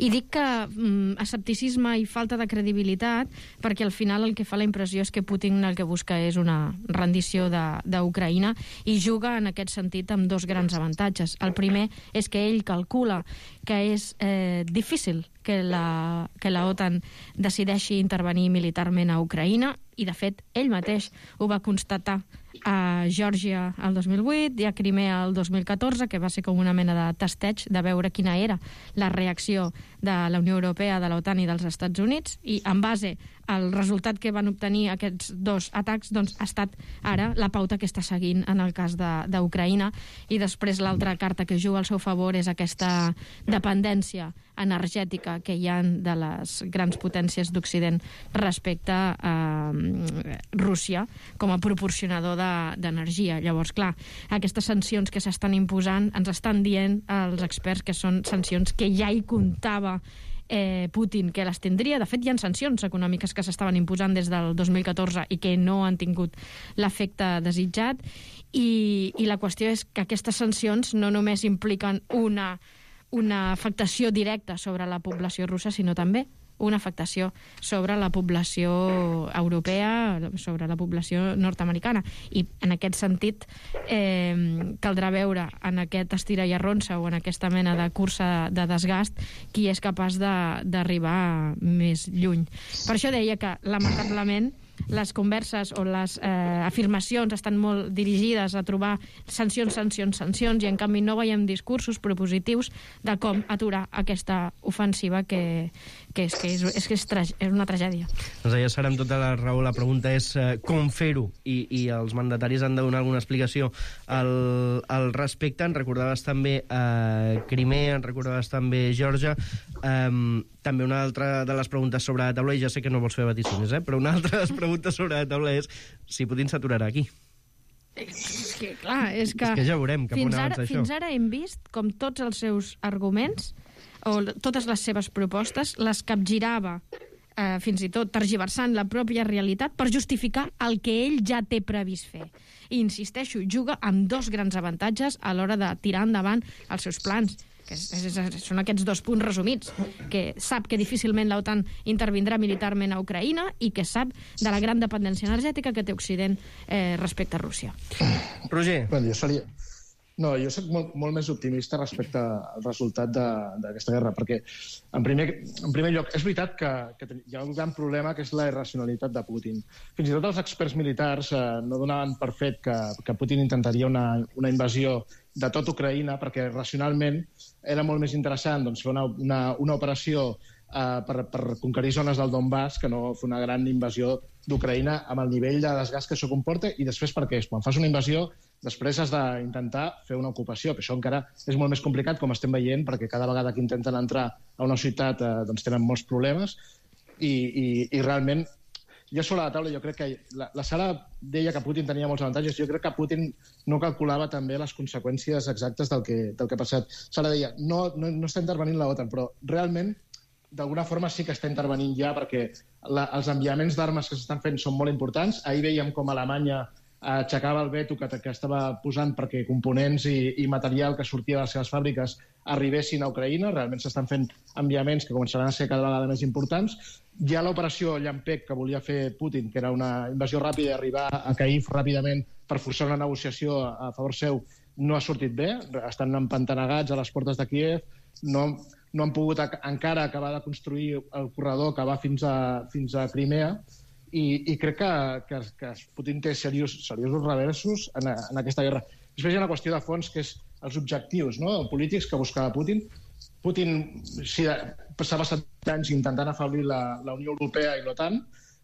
I dic que mm, escepticisme i falta de credibilitat perquè al final el que fa la impressió és que Putin el que busca és una rendició d'Ucraïna i juga en aquest sentit amb dos grans avantatges. El primer és que ell calcula que és eh, difícil que la, que la OTAN decideixi intervenir militarment a Ucraïna, i de fet ell mateix ho va constatar a Geòrgia el dos mil vuit i a Crimea el dos mil catorze, que va ser com una mena de testeig de veure quina era la reacció de la Unió Europea, de l'OTAN i dels Estats Units, i en base al resultat que van obtenir aquests dos atacs doncs, ha estat ara la pauta que està seguint en el cas d'Ucraïna. I després l'altra carta que juga al seu favor és aquesta dependència energètica que hi ha de les grans potències d'Occident respecte a Rússia com a proporcionador d'energia. Llavors, clar, aquestes sancions que s'estan imposant ens estan dient els experts que són sancions que ja hi comptava Eh, Putin, que les tindria. De fet, hi ha sancions econòmiques que s'estaven imposant des del dos mil catorze i que no han tingut l'efecte desitjat, i, i la qüestió és que aquestes sancions no només impliquen una, una afectació directa sobre la població russa, sinó també una afectació sobre la població europea, sobre la població nord-americana. I en aquest sentit eh, caldrà veure en aquest estira i arronsa o en aquesta mena de cursa de desgast qui és capaç d'arribar més lluny. Per això deia que, lamentablement, les converses o les eh, afirmacions estan molt dirigides a trobar sancions, sancions, sancions, i en canvi no veiem discursos propositius de com aturar aquesta ofensiva que, que, és, que, és, és, que és, tra és una tragèdia. Doncs ja serà amb tota la raó. La pregunta és eh, com fer-ho, i, i els mandataris han de donar alguna explicació al, al respecte. En recordaves també eh, Crimea, en recordaves també Geòrgia. Eh, també una altra de les preguntes sobre la taula, i ja sé que no vols fer vaticines, eh? Però una altra de les preguntes sobre la taula és si Putin s'aturarà aquí. És que, clar, és que... És que ja veurem cap on avança això. Fins ara hem vist com tots els seus arguments o totes les seves propostes les capgirava, eh, fins i tot tergiversant la pròpia realitat per justificar el que ell ja té previst fer. I insisteixo, juga amb dos grans avantatges a l'hora de tirar endavant els seus plans, que és, és, és, són aquests dos punts resumits, que sap que difícilment l'OTAN intervindrà militarment a Ucraïna i que sap de la gran dependència energètica que té Occident eh, respecte a Rússia. Roger. Bueno, jo seria... No, jo soc molt, molt més optimista respecte al resultat d'aquesta guerra, perquè, en primer, en primer lloc, és veritat que, que hi ha un gran problema, que és la irracionalitat de Putin. Fins i tot els experts militars eh, no donaven per fet que, que Putin intentaria una, una invasió de tot Ucraïna, perquè racionalment era molt més interessant doncs, fer una, una, una operació Uh, per, per conquerir zones del Donbass que no fer una gran invasió d'Ucraïna amb el nivell de desgast que això comporta, i després perquè quan fas una invasió després has d'intentar fer una ocupació, que això encara és molt més complicat, com estem veient, perquè cada vegada que intenten entrar a una ciutat uh, doncs tenen molts problemes i, i, i realment jo sobre la taula jo crec que la, la Sara deia que Putin tenia molts avantatges, jo crec que Putin no calculava també les conseqüències exactes del que, del que ha passat. Sara deia, no, no, no està intervenint l'OTAN, però realment d'alguna forma sí que està intervenint ja, perquè la, els enviaments d'armes que s'estan fent són molt importants. Ahir veiem com Alemanya aixecava el veto que, que estava posant perquè components i, i material que sortia de les seves fàbriques arribessin a Ucraïna. Realment s'estan fent enviaments que començaran a ser cada vegada més importants. Hi ha l'operació Llampec que volia fer Putin, que era una invasió ràpida i arribar a Kyiv ràpidament per forçar una negociació a favor seu. No ha sortit bé, estan empantanegats a les portes de Kíev, no... no han pogut encara acabar de construir el corredor que va fins a, fins a Crimea, i, i crec que, que, que Putin té serios, seriosos reversos en, en aquesta guerra. Després hi ha una qüestió de fons, que és els objectius, no?, polítics que buscava Putin. Putin si, s'ha passat anys intentant afeblir la, la Unió Europea i l'OTAN,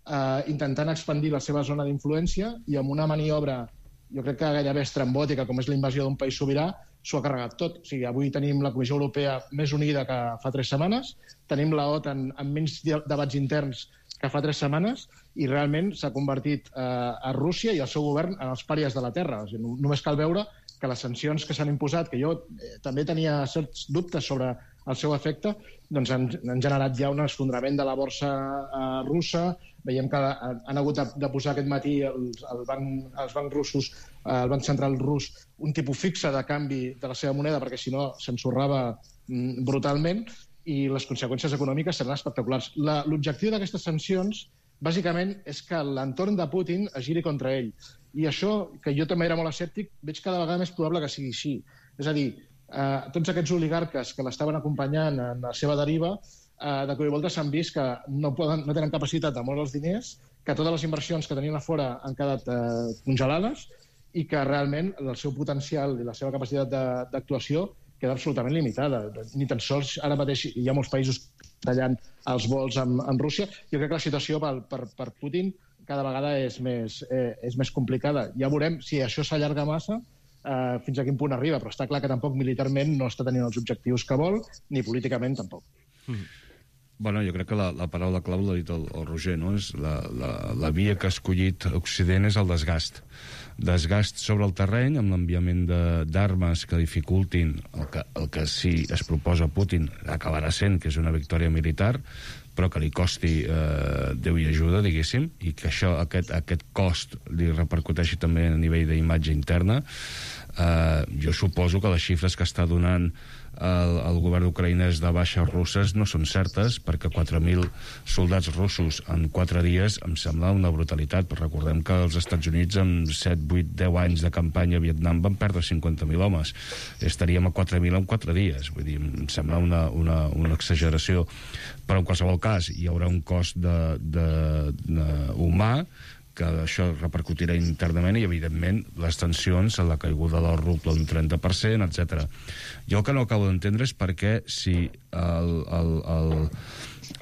eh, intentant expandir la seva zona d'influència, i amb una maniobra, jo crec que gairebé estrambòtica, com és la invasió d'un país sobirà, s'ho ha carregat tot. O sigui, avui tenim la Comissió Europea més unida que fa tres setmanes, tenim la OTAN amb menys debats interns que fa tres setmanes, i realment s'ha convertit eh, a Rússia i el seu govern en els pàries de la Terra. O sigui, només cal veure que les sancions que s'han imposat, que jo eh, també tenia certs dubtes sobre el seu efecte, doncs han, han generat ja un esfondrament de la borsa eh, russa. Veiem que han hagut de, de posar aquest matí els, el banc, els bancs russos, eh, el Banc Central rus, un tipus fixe de canvi de la seva moneda, perquè si no s'ensorrava mm, brutalment, i les conseqüències econòmiques seran espectaculars. La, l'objectiu d'aquestes sancions, bàsicament, és que l'entorn de Putin es giri contra ell. I això, que jo també era molt escèptic, veig cada vegada més probable que sigui així. És a dir, eh, tots aquests oligarques que l'estaven acompanyant en la seva deriva, Uh, de cop i volta s'han vist que no, poden, no tenen capacitat de moure els diners, que totes les inversions que tenien a fora han quedat uh, congelades, i que realment el seu potencial i la seva capacitat d'actuació queda absolutament limitada. Ni tan sols ara mateix hi ha molts països tallant els vols amb, amb Rússia. Jo crec que la situació per, per, per Putin cada vegada és més, eh, és més complicada. Ja veurem si això s'allarga massa, eh, fins a quin punt arriba, però està clar que tampoc militarment no està tenint els objectius que vol, ni políticament tampoc. Mm. Bueno, jo crec que la, la paraula clau l'ha dit el, el Roger, no? És la, la, la via que ha escollit Occident és el desgast. Desgast sobre el terreny, amb l'enviament d'armes que dificultin el que, el que si es proposa Putin acabarà sent, que és una victòria militar, però que li costi eh, Déu i ajuda, diguéssim, i que això, aquest, aquest cost li repercuteixi també a nivell d'imatge interna. Eh, jo suposo que les xifres que està donant el, el govern d'ucraïnès de baixes russes no són certes, perquè quatre mil soldats russos en quatre dies em sembla una brutalitat, però recordem que els Estats Units en set, vuit, deu anys de campanya a Vietnam van perdre cinquanta mil homes. Estaríem a quatre mil en quatre dies, vull dir, em sembla una, una, una exageració, però en qualsevol cas hi haurà un cost de, de, de humà, que això repercutirà internament, i evidentment les tensions en la caiguda del ruble un trenta per cent, etcètera. Jo el que no acabo d'entendre és per què, si el, el, el,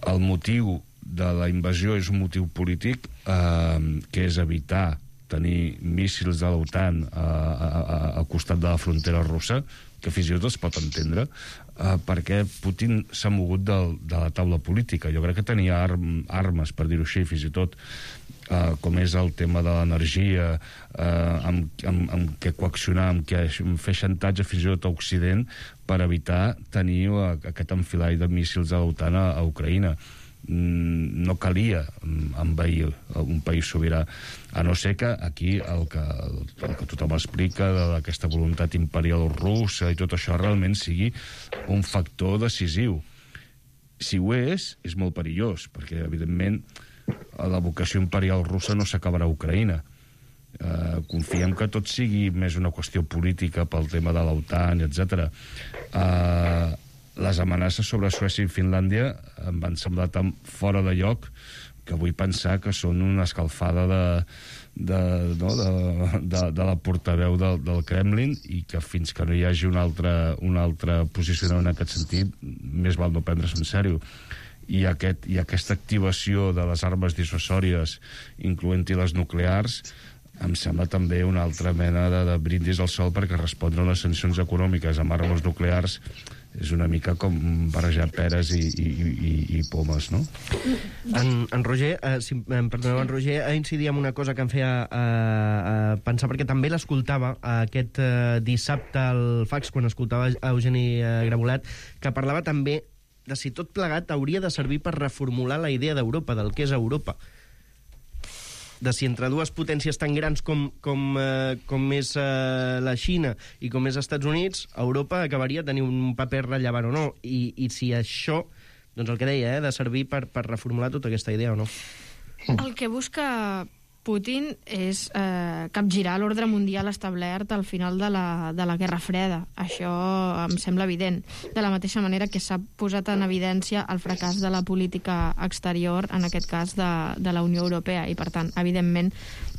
el motiu de la invasió és un motiu polític, eh, que és evitar tenir míssils de l'OTAN al costat de la frontera russa, que fins i tot es pot entendre, eh, perquè Putin s'ha mogut del, de la taula política. Jo crec que tenia arm, armes, per dir-ho així, fins i tot Uh, com és el tema de l'energia, uh, amb, amb, amb què coaccionar, amb què fer xantatge fins i tot a Occident per evitar tenir uh, aquest enfilall de míssils de l'OTAN a, a Ucraïna. Mm, no calia envair un país sobirà, a no ser que aquí el que, el que tothom explica d'aquesta voluntat imperial russa i tot això realment sigui un factor decisiu. Si ho és, és molt perillós, perquè evidentment la vocació imperial russa no s'acabarà a Ucraïna. Eh, confiem que tot sigui més una qüestió política pel tema de l'OTAN, etcètera. Eh, les amenaces sobre Suècia i Finlàndia em van semblar tan fora de lloc que vull pensar que són una escalfada de, de, no, de, de, de la portaveu del, del Kremlin, i que fins que no hi hagi un altre, un altre posicionament en aquest sentit, més val no prendre's en sèrio. I, aquest, i aquesta activació de les armes dissuasòries, incloent-hi les nuclears, em sembla també una altra mena de, de brindis al sol, perquè respondre a les sancions econòmiques amb armes nuclears és una mica com barrejar peres i, i, i, i pomes, no? En, en Roger, eh, si em perdoneu, en Roger a incidir en una cosa que em feia eh, eh, pensar, perquè també l'escoltava aquest eh, dissabte al fax, quan escoltava a Eugeni eh, Grabolat, que parlava també de si tot plegat hauria de servir per reformular la idea d'Europa, del que és Europa. De si entre dues potències tan grans com, com, eh, com és eh, la Xina i com és els Estats Units, Europa acabaria tenint un paper rellevant o no. I, i si això, doncs el que deia, eh, de servir per, per reformular tota aquesta idea o no. El que busca Putin és eh, capgirar l'ordre mundial establert al final de la, de la Guerra Freda. Això em sembla evident. De la mateixa manera que s'ha posat en evidència el fracàs de la política exterior, en aquest cas de, de la Unió Europea, i per tant, evidentment,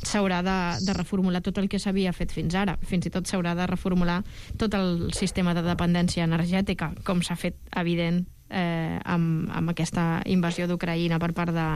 s'haurà de, de reformular tot el que s'havia fet fins ara. Fins i tot s'haurà de reformular tot el sistema de dependència energètica, com s'ha fet evident eh, amb, amb aquesta invasió d'Ucraïna per part de,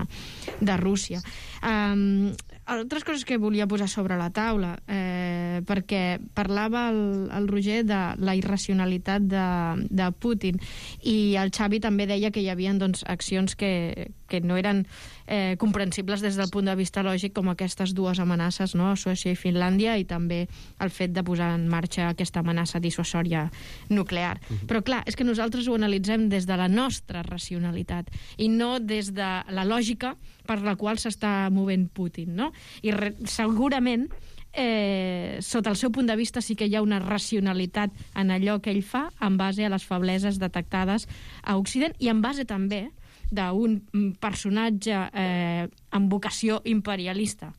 de Rússia. Um, altres coses que volia posar sobre la taula, eh, perquè parlava el, el Roger de la irracionalitat de, de Putin, i el Xavi també deia que hi havia doncs, accions que, que no eren eh, comprensibles des del punt de vista lògic, com aquestes dues amenaces, no? Suècia i Finlàndia, i també el fet de posar en marxa aquesta amenaça dissuasòria nuclear. Uh-huh. Però clar, és que nosaltres ho analitzem des de la nostra racionalitat i no des de la lògica per la qual s'està movent Putin, no? I re, segurament eh, sota el seu punt de vista sí que hi ha una racionalitat en allò que ell fa en base a les febleses detectades a Occident, i en base també d'un personatge eh, amb vocació imperialista.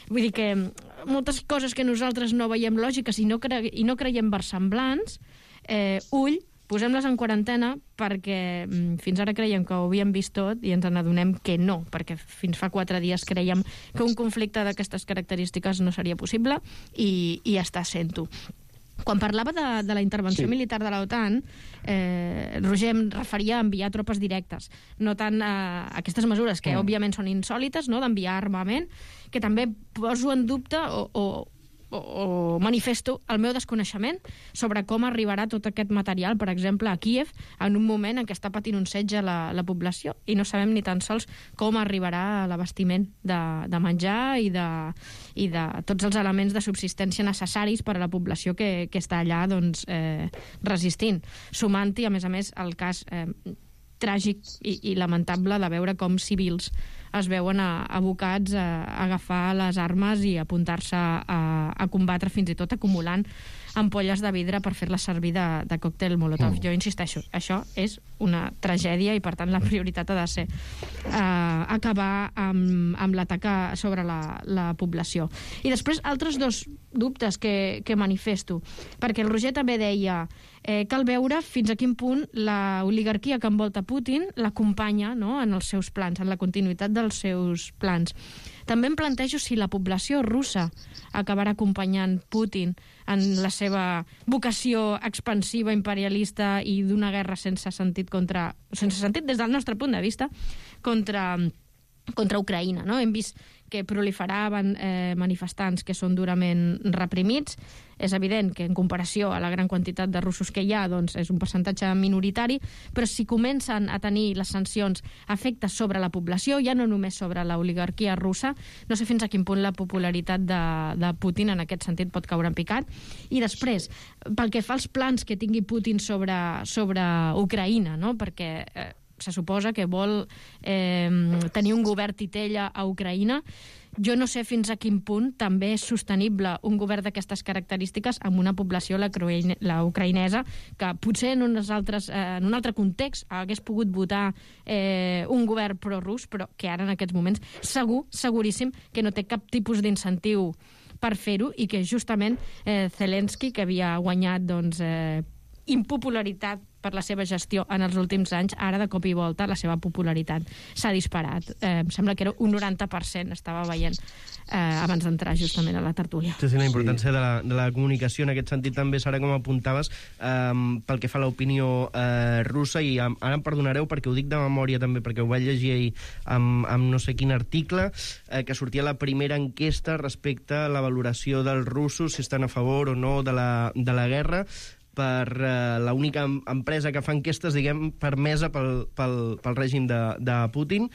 Vull dir que moltes coses que nosaltres no veiem lògiques i no, cre i no creiem versemblants, eh, ull, posem-les en quarantena, perquè mm, fins ara creiem que ho havíem vist tot i ens n'adonem que no, perquè fins fa quatre dies creiem que un conflicte d'aquestes característiques no seria possible, i, i està sent-ho. Quan parlava de, de la intervenció sí. militar de l'OTAN, eh, Roger em referia a enviar tropes directes, no tant a aquestes mesures que, mm. òbviament, són insòlites, no?, d'enviar armament, que també poso en dubte o, o, o, o manifesto el meu desconeixement sobre com arribarà tot aquest material, per exemple, a Kíev, en un moment en què està patint un setge la, la població, i no sabem ni tan sols com arribarà l'abastiment de, de menjar i de, i de tots els elements de subsistència necessaris per a la població que, que està allà doncs, eh, resistint. Sumant-hi, a més a més, el cas eh, tràgic i, i lamentable de veure com civils es veuen a, abocats a, a agafar les armes i a apuntar-se a, a combatre, fins i tot acumulant ampolles de vidre per fer-les servir de, de còctel Molotov. Mm. Jo insisteixo, això és una tragèdia, i per tant la prioritat ha de ser eh, acabar amb, amb l'atac sobre la, la població. I després altres dos dubtes que, que manifesto, perquè el Roger també deia eh, cal veure fins a quin punt la oligarquia que envolta Putin l'acompanya, no?, en els seus plans, en la continuïtat dels seus plans. També em plantejo si la població russa acabarà acompanyant Putin en la seva vocació expansiva, imperialista i d'una guerra sense sentit contra, sense sentit des del nostre punt de vista, contra, contra Ucraïna, no? Hem vist que proliferaven eh, manifestants que són durament reprimits. És evident que en comparació a la gran quantitat de russos que hi ha, doncs és un percentatge minoritari, però si comencen a tenir les sancions efectes sobre la població, ja no només sobre l'oligarquia russa, no sé fins a quin punt la popularitat de, de Putin en aquest sentit pot caure en picat. I després, pel que fa als plans que tingui Putin sobre, sobre Ucraïna, no?, perquè eh, se suposa que vol eh, tenir un govern titella a Ucraïna. Jo no sé fins a quin punt també és sostenible un govern d'aquestes característiques amb una població, la, la ucraïnesa, que potser en, unes altres, eh, en un altre context hagués pogut votar eh, un govern prorus, però que ara en aquests moments segur, seguríssim, que no té cap tipus d'incentiu per fer-ho, i que justament eh, Zelensky, que havia guanyat doncs, eh, impopularitat per la seva gestió en els últims anys, ara de cop i volta la seva popularitat s'ha disparat. Eh, em sembla que era un noranta per cent, estava veient eh, abans d'entrar justament a la tertúlia. Sí, sí, la importància sí. de, la, de la comunicació en aquest sentit també serà, com apuntaves, eh, pel que fa a l'opinió eh, russa, i ara em perdonareu perquè ho dic de memòria també, perquè ho vaig llegir ahir amb, amb no sé quin article, eh, que sortia la primera enquesta respecte a la valoració dels russos, si estan a favor o no de la, de la guerra, per uh, l'única empresa que fa enquestes, diguem, permesa pel, pel, pel règim de, de Putin,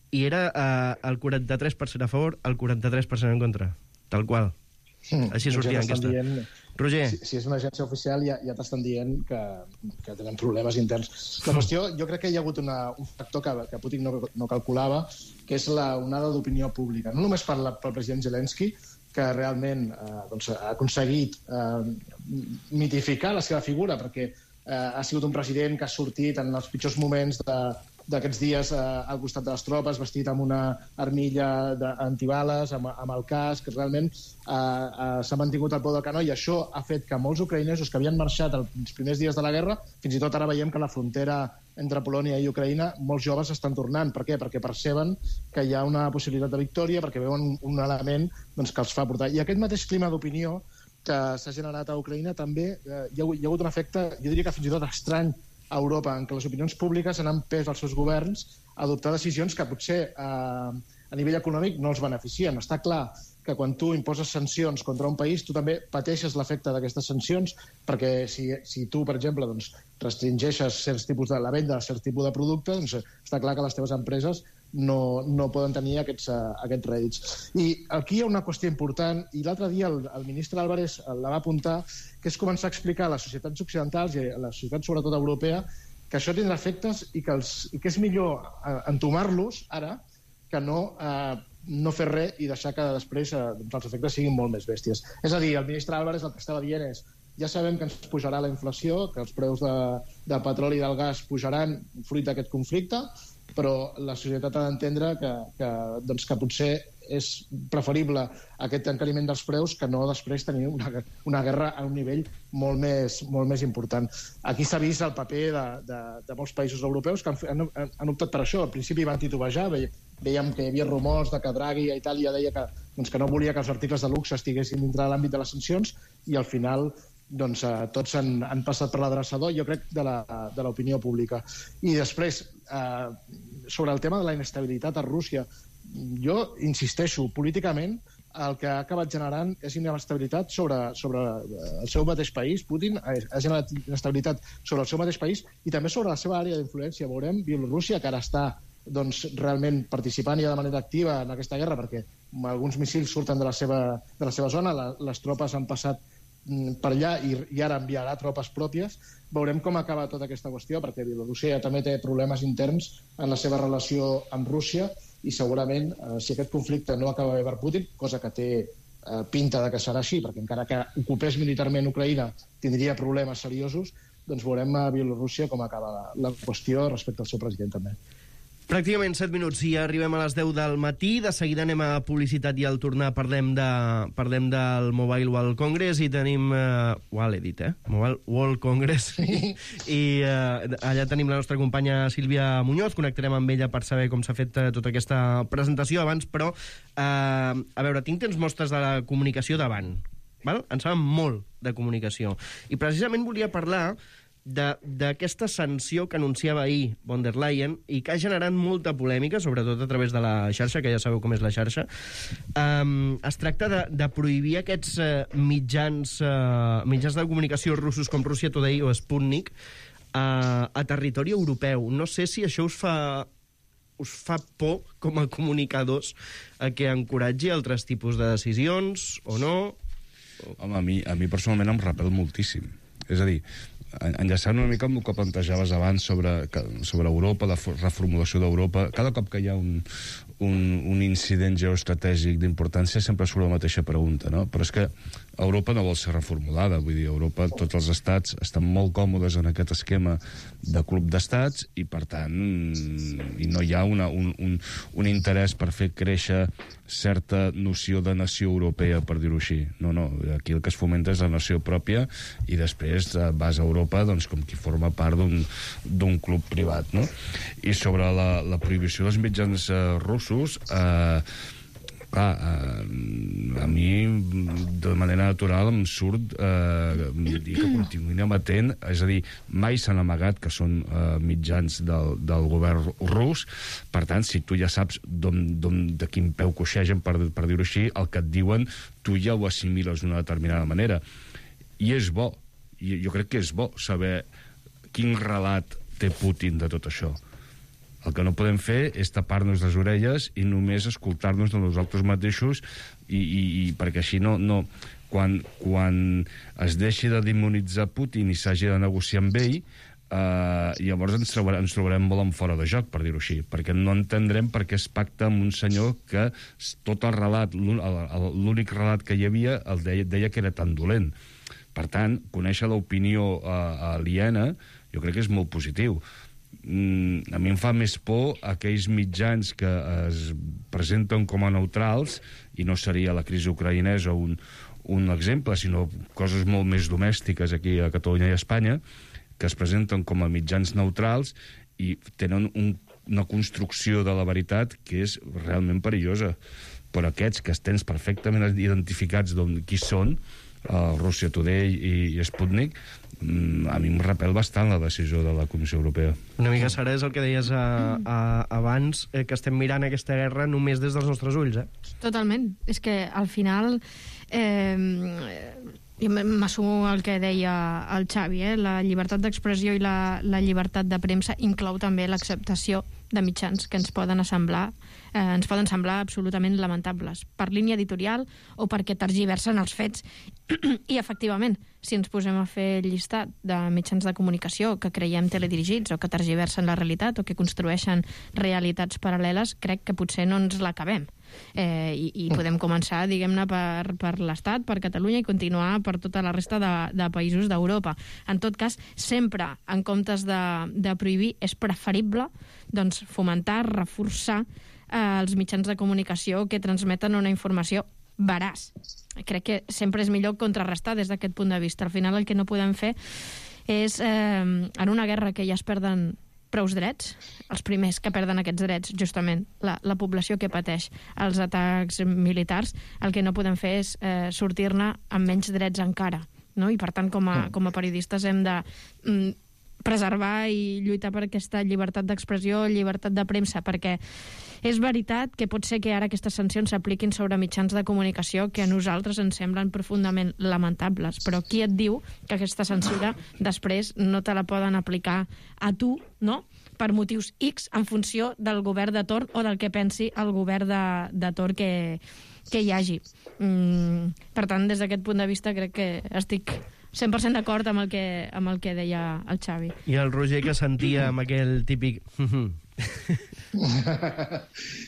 i era uh, el quaranta-tres per cent a favor, el quaranta-tres per cent en contra, tal qual. Mm, Així sortia l'enquesta. Dient... Roger. Si, si és una agència oficial ja, ja t'estan dient que, que tenen problemes interns. La qüestió, jo crec que hi ha hagut una, un factor que, que Putin no, no calculava, que és la onada d'opinió pública. No només per la, pel president Zelensky, que realment eh, doncs, ha aconseguit eh, mitificar la seva figura, perquè eh, ha sigut un president que ha sortit en els pitjors moments d'aquests dies eh, al costat de les tropes, vestit amb una armilla antibales, amb, amb el casc, que realment eh, eh, s'ha mantingut al peu del canó, i això ha fet que molts ucraïnesos que havien marxat els primers dies de la guerra, fins i tot ara veiem que la frontera entre Polònia i Ucraïna, molts joves estan tornant. Per què? Perquè perceben que hi ha una possibilitat de victòria, perquè veuen un element doncs, que els fa portar. I aquest mateix clima d'opinió que s'ha generat a Ucraïna també eh, hi, ha, hi ha hagut un efecte, jo diria que fins i tot estrany a Europa, en què les opinions públiques han empès als seus governs a adoptar decisions que potser eh, a nivell econòmic no els beneficien. Està clar que quan tu imposes sancions contra un país, tu també pateixes l'efecte d'aquestes sancions, perquè si, si tu, per exemple, doncs, restringeixes certs tipus de la venda de certs tipus de producte, doncs està clar que les teves empreses no, no poden tenir aquests, uh, aquests rèdits. I aquí hi ha una qüestió important, i l'altre dia el, el ministre Álvarez la va apuntar, que és començar a explicar a les societats occidentals i a la societat sobretot europea que això tindrà efectes i que, els, i que és millor uh, entomar-los ara que no, eh, no fer res i deixar que després eh, els efectes siguin molt més bèsties. És a dir, el ministre Álvarez el que estava dient és ja sabem que ens pujarà la inflació, que els preus de, del petroli i del gas pujaran fruit d'aquest conflicte, però la societat ha d'entendre que, que, doncs, que potser és preferible aquest encariment dels preus que no després tenir una, una guerra a un nivell molt més, molt més important. Aquí s'ha vist el paper de, de, de molts països europeus que han, han, han optat per això. Al principi van titubejar, ve, veiem que hi havia rumors de que Draghi a Itàlia deia que, doncs, que no volia que els articles de luxe estiguessin dintre de l'àmbit de les sancions, i al final doncs, eh, tots han, han passat per l'adreçador, jo crec, de l'opinió pública. I després, eh, sobre el tema de la inestabilitat a Rússia, jo insisteixo, políticament el que ha acabat generant és inestabilitat sobre, sobre el seu mateix país. Putin ha, ha generat inestabilitat sobre el seu mateix país i també sobre la seva àrea d'influència. Veurem Bielorússia, que ara està doncs, realment participant ja de manera activa en aquesta guerra, perquè alguns míssils surten de la seva, de la seva zona, la, les tropes han passat per allà i, i ara enviarà tropes pròpies. Veurem com acaba tota aquesta qüestió, perquè Bielorússia també té problemes interns en la seva relació amb Rússia, i segurament, eh, si aquest conflicte no acaba bé per Putin, cosa que té eh, pinta de que serà així, perquè encara que ocupés militarment Ucraïna tindria problemes seriosos, doncs veurem a Bielorússia com acaba la, la qüestió respecte al seu president també. Pràcticament set minuts i arribem a les deu del matí. De seguida anem a publicitat i al tornar parlem, de, parlem del Mobile World Congress i tenim... Uh, ho l'he dit, eh? Mobile World Congress. I uh, allà tenim la nostra companya Sílvia Muñoz. Connectarem amb ella per saber com s'ha fet uh, tota aquesta presentació abans, però, uh, a veure, tinc temps mostres de la comunicació davant. Val? En saben molt de comunicació. I precisament volia parlar d'aquesta sanció que anunciava ahir von der Leyen i que ha generat molta polèmica, sobretot a través de la xarxa, que ja sabeu com és la xarxa. Um, es tracta de, de prohibir aquests uh, mitjans, uh, mitjans de comunicació russos com Russia Today o Sputnik uh, a territori europeu. No sé si això us fa, us fa por com a comunicadors a que encoratgi altres tipus de decisions o no? Home, a mi, a mi personalment em repel moltíssim. És a dir, enllaçant una mica amb el que plantejaves abans sobre, sobre Europa, la reformulació d'Europa, cada cop que hi ha un, un, un incident geoestratègic d'importància sempre surt la mateixa pregunta, no? Però és que Europa no vol ser reformulada, vull dir, Europa, tots els estats estan molt còmodes en aquest esquema de club d'estats i, per tant, i no hi ha una, un, un, un interès per fer créixer certa noció de nació europea, per dir-ho així. No, no, aquí el que es fomenta és la nació pròpia i després vas a Europa doncs, com qui forma part d'un club privat, no? I sobre la, la prohibició dels mitjans eh, russos, eh, clar, eh, a mi de manera natural em surt eh, dir que continuïn emetent, és a dir, mai s'han amagat que són eh, mitjans del, del govern rus, per tant, si tu ja saps de quin peu coixegen, per, per dir-ho així, el que et diuen, tu ja ho assimiles d'una determinada manera. I és bo, i jo crec que és bo saber quin relat té Putin de tot això. El que no podem fer és tapar-nos les orelles i només escoltar-nos de nosaltres mateixos i, i, i perquè així no... no quan, quan es deixi de demonitzar Putin i s'hagi de negociar amb ell, eh, llavors ens trobarem, ens trobarem molt en fora de joc, per dir-ho així, perquè no entendrem per què es pacta amb un senyor que tot el relat, l'únic relat que hi havia, el deia, deia que era tan dolent. Per tant, conèixer l'opinió eh, aliena jo crec que és molt positiu. A mi em fa més por aquells mitjans que es presenten com a neutrals, i no seria la crisi ucraïnesa un, un exemple, sinó coses molt més domèstiques aquí a Catalunya i a Espanya, que es presenten com a mitjans neutrals i tenen un, una construcció de la veritat que és realment perillosa. Però aquests que tens perfectament identificats qui són, uh, Russia Today i, i Sputnik, a mi em repel bastant la decisió de la Comissió Europea. Una mica, Sara, és el que deies a, a, abans, eh, que estem mirant aquesta guerra només des dels nostres ulls, eh? Totalment. És que al final eh, m'assumo el que deia el Xavi, eh? La llibertat d'expressió i la, la llibertat de premsa inclou també l'acceptació de mitjans que ens poden semblar eh, ens poden semblar absolutament lamentables per línia editorial o perquè tergiversen els fets. I efectivament, si ens posem a fer el llistat de mitjans de comunicació que creiem teledirigits o que tergiversen la realitat o que construeixen realitats paral·leles, crec que potser no ens l'acabem. Eh, i, i podem començar, diguem-ne, per, per l'Estat, per Catalunya, i continuar per tota la resta de, de països d'Europa. En tot cas, sempre, en comptes de, de prohibir, és preferible doncs, fomentar, reforçar eh, els mitjans de comunicació que transmeten una informació veraç. Crec que sempre és millor contrarrestar des d'aquest punt de vista. Al final el que no podem fer és, eh, en una guerra que ja es perden prous drets, els primers que perden aquests drets, justament, la, la població que pateix els atacs militars, el que no podem fer és eh, sortir-ne amb menys drets encara, no? I per tant, com a, com a periodistes hem de mm, preservar i lluitar per aquesta llibertat d'expressió, llibertat de premsa, perquè és veritat que pot ser que ara aquestes sancions s'apliquin sobre mitjans de comunicació que a nosaltres ens semblen profundament lamentables, però qui et diu que aquesta censura després no te la poden aplicar a tu, no?, per motius X en funció del govern de torn o del que pensi el govern de, de torn que, que hi hagi. Mm, per tant, des d'aquest punt de vista crec que estic cent per cent d'acord amb el que, amb el que deia el Xavi. I el Roger, que sentia amb aquell típic...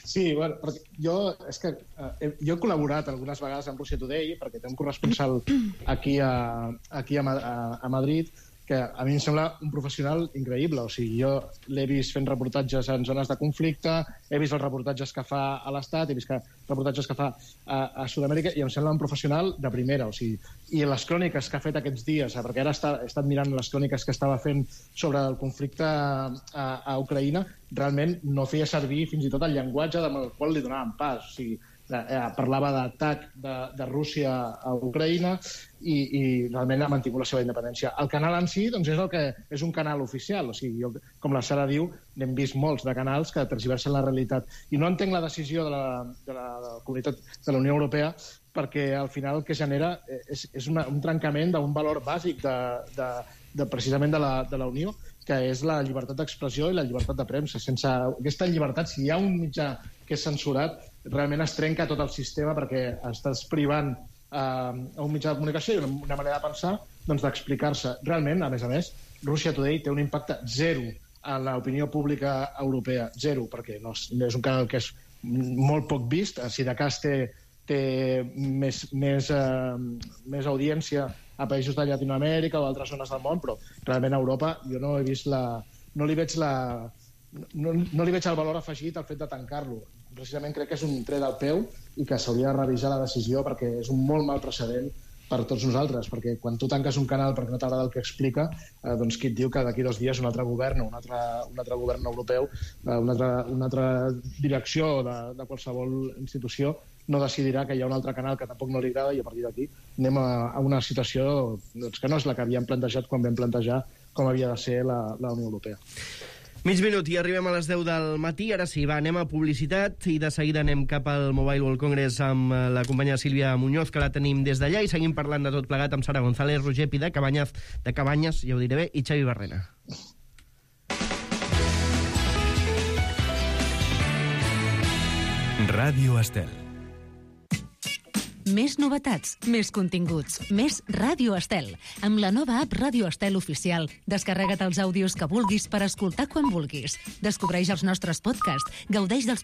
Sí, bueno, perquè jo, és que, eh, jo he col·laborat algunes vegades amb Russia Today perquè té un corresponsal aquí a, aquí a, a, a Madrid que a mi em sembla un professional increïble. O sigui, jo l'he vist fent reportatges en zones de conflicte, he vist els reportatges que fa a l'Estat, he vist que, reportatges que fa a, a Sud-amèrica, i em sembla un professional de primera. O sigui, i les cròniques que ha fet aquests dies, perquè ara està, he estat mirant les cròniques que estava fent sobre el conflicte a, a Ucraïna, realment no feia servir fins i tot el llenguatge amb el qual li donaven pas. O sigui, eh, parlava d'atac de, de Rússia a Ucraïna i, i realment ha mantingut la seva independència. El canal en si doncs, és, el que, és un canal oficial. O sigui, jo, com la Sara diu, n'hem vist molts de canals que tergiversen la realitat. I no entenc la decisió de la, de la, de la comunitat de la Unió Europea perquè al final el que genera és, és una, un trencament d'un valor bàsic de, de, de, precisament de la, de la Unió, que és la llibertat d'expressió i la llibertat de premsa. Sense aquesta llibertat, si hi ha un mitjà que és censurat, realment es trenca tot el sistema perquè estàs privant eh, a un mitjà de comunicació i una manera de pensar doncs, d'explicar-se. Realment, a més a més, Russia Today té un impacte zero en l'opinió pública europea. Zero, perquè no és, és un canal que és molt poc vist. Si de cas té, té més, més, eh, més audiència a països de Llatinoamèrica o altres zones del món, però realment a Europa jo no he vist la... no li veig la... No, no li veig el valor afegit al fet de tancar-lo. Precisament crec que és un tret al peu i que s'hauria de revisar la decisió perquè és un molt mal precedent per tots nosaltres, perquè quan tu tanques un canal perquè no t'agrada el que explica, eh, doncs qui et diu que d'aquí dos dies un altre govern, un altre, un altre govern europeu, eh, una, altra, una altra direcció de, de qualsevol institució no decidirà que hi ha un altre canal que tampoc no li agrada i a partir d'aquí anem a, a una situació doncs, que no és la que havíem plantejat quan vam plantejar com havia de ser la, la Unió Europea. Mig minut i arribem a les deu del matí. Ara sí, va, anem a publicitat i de seguida anem cap al Mobile World Congress amb la companya Sílvia Muñoz, que la tenim des d'allà, i seguim parlant de tot plegat amb Sara González, Roger Pi de Cabanyes, de Cabanyes, ja ho diré bé, i Xavi Barrena. Ràdio Estel. Més novetats, més continguts, més Ràdio Estel. Amb la nova app Ràdio Estel Oficial, descarrega't els àudios que vulguis per escoltar quan vulguis. Descobreix els nostres podcasts, gaudeix dels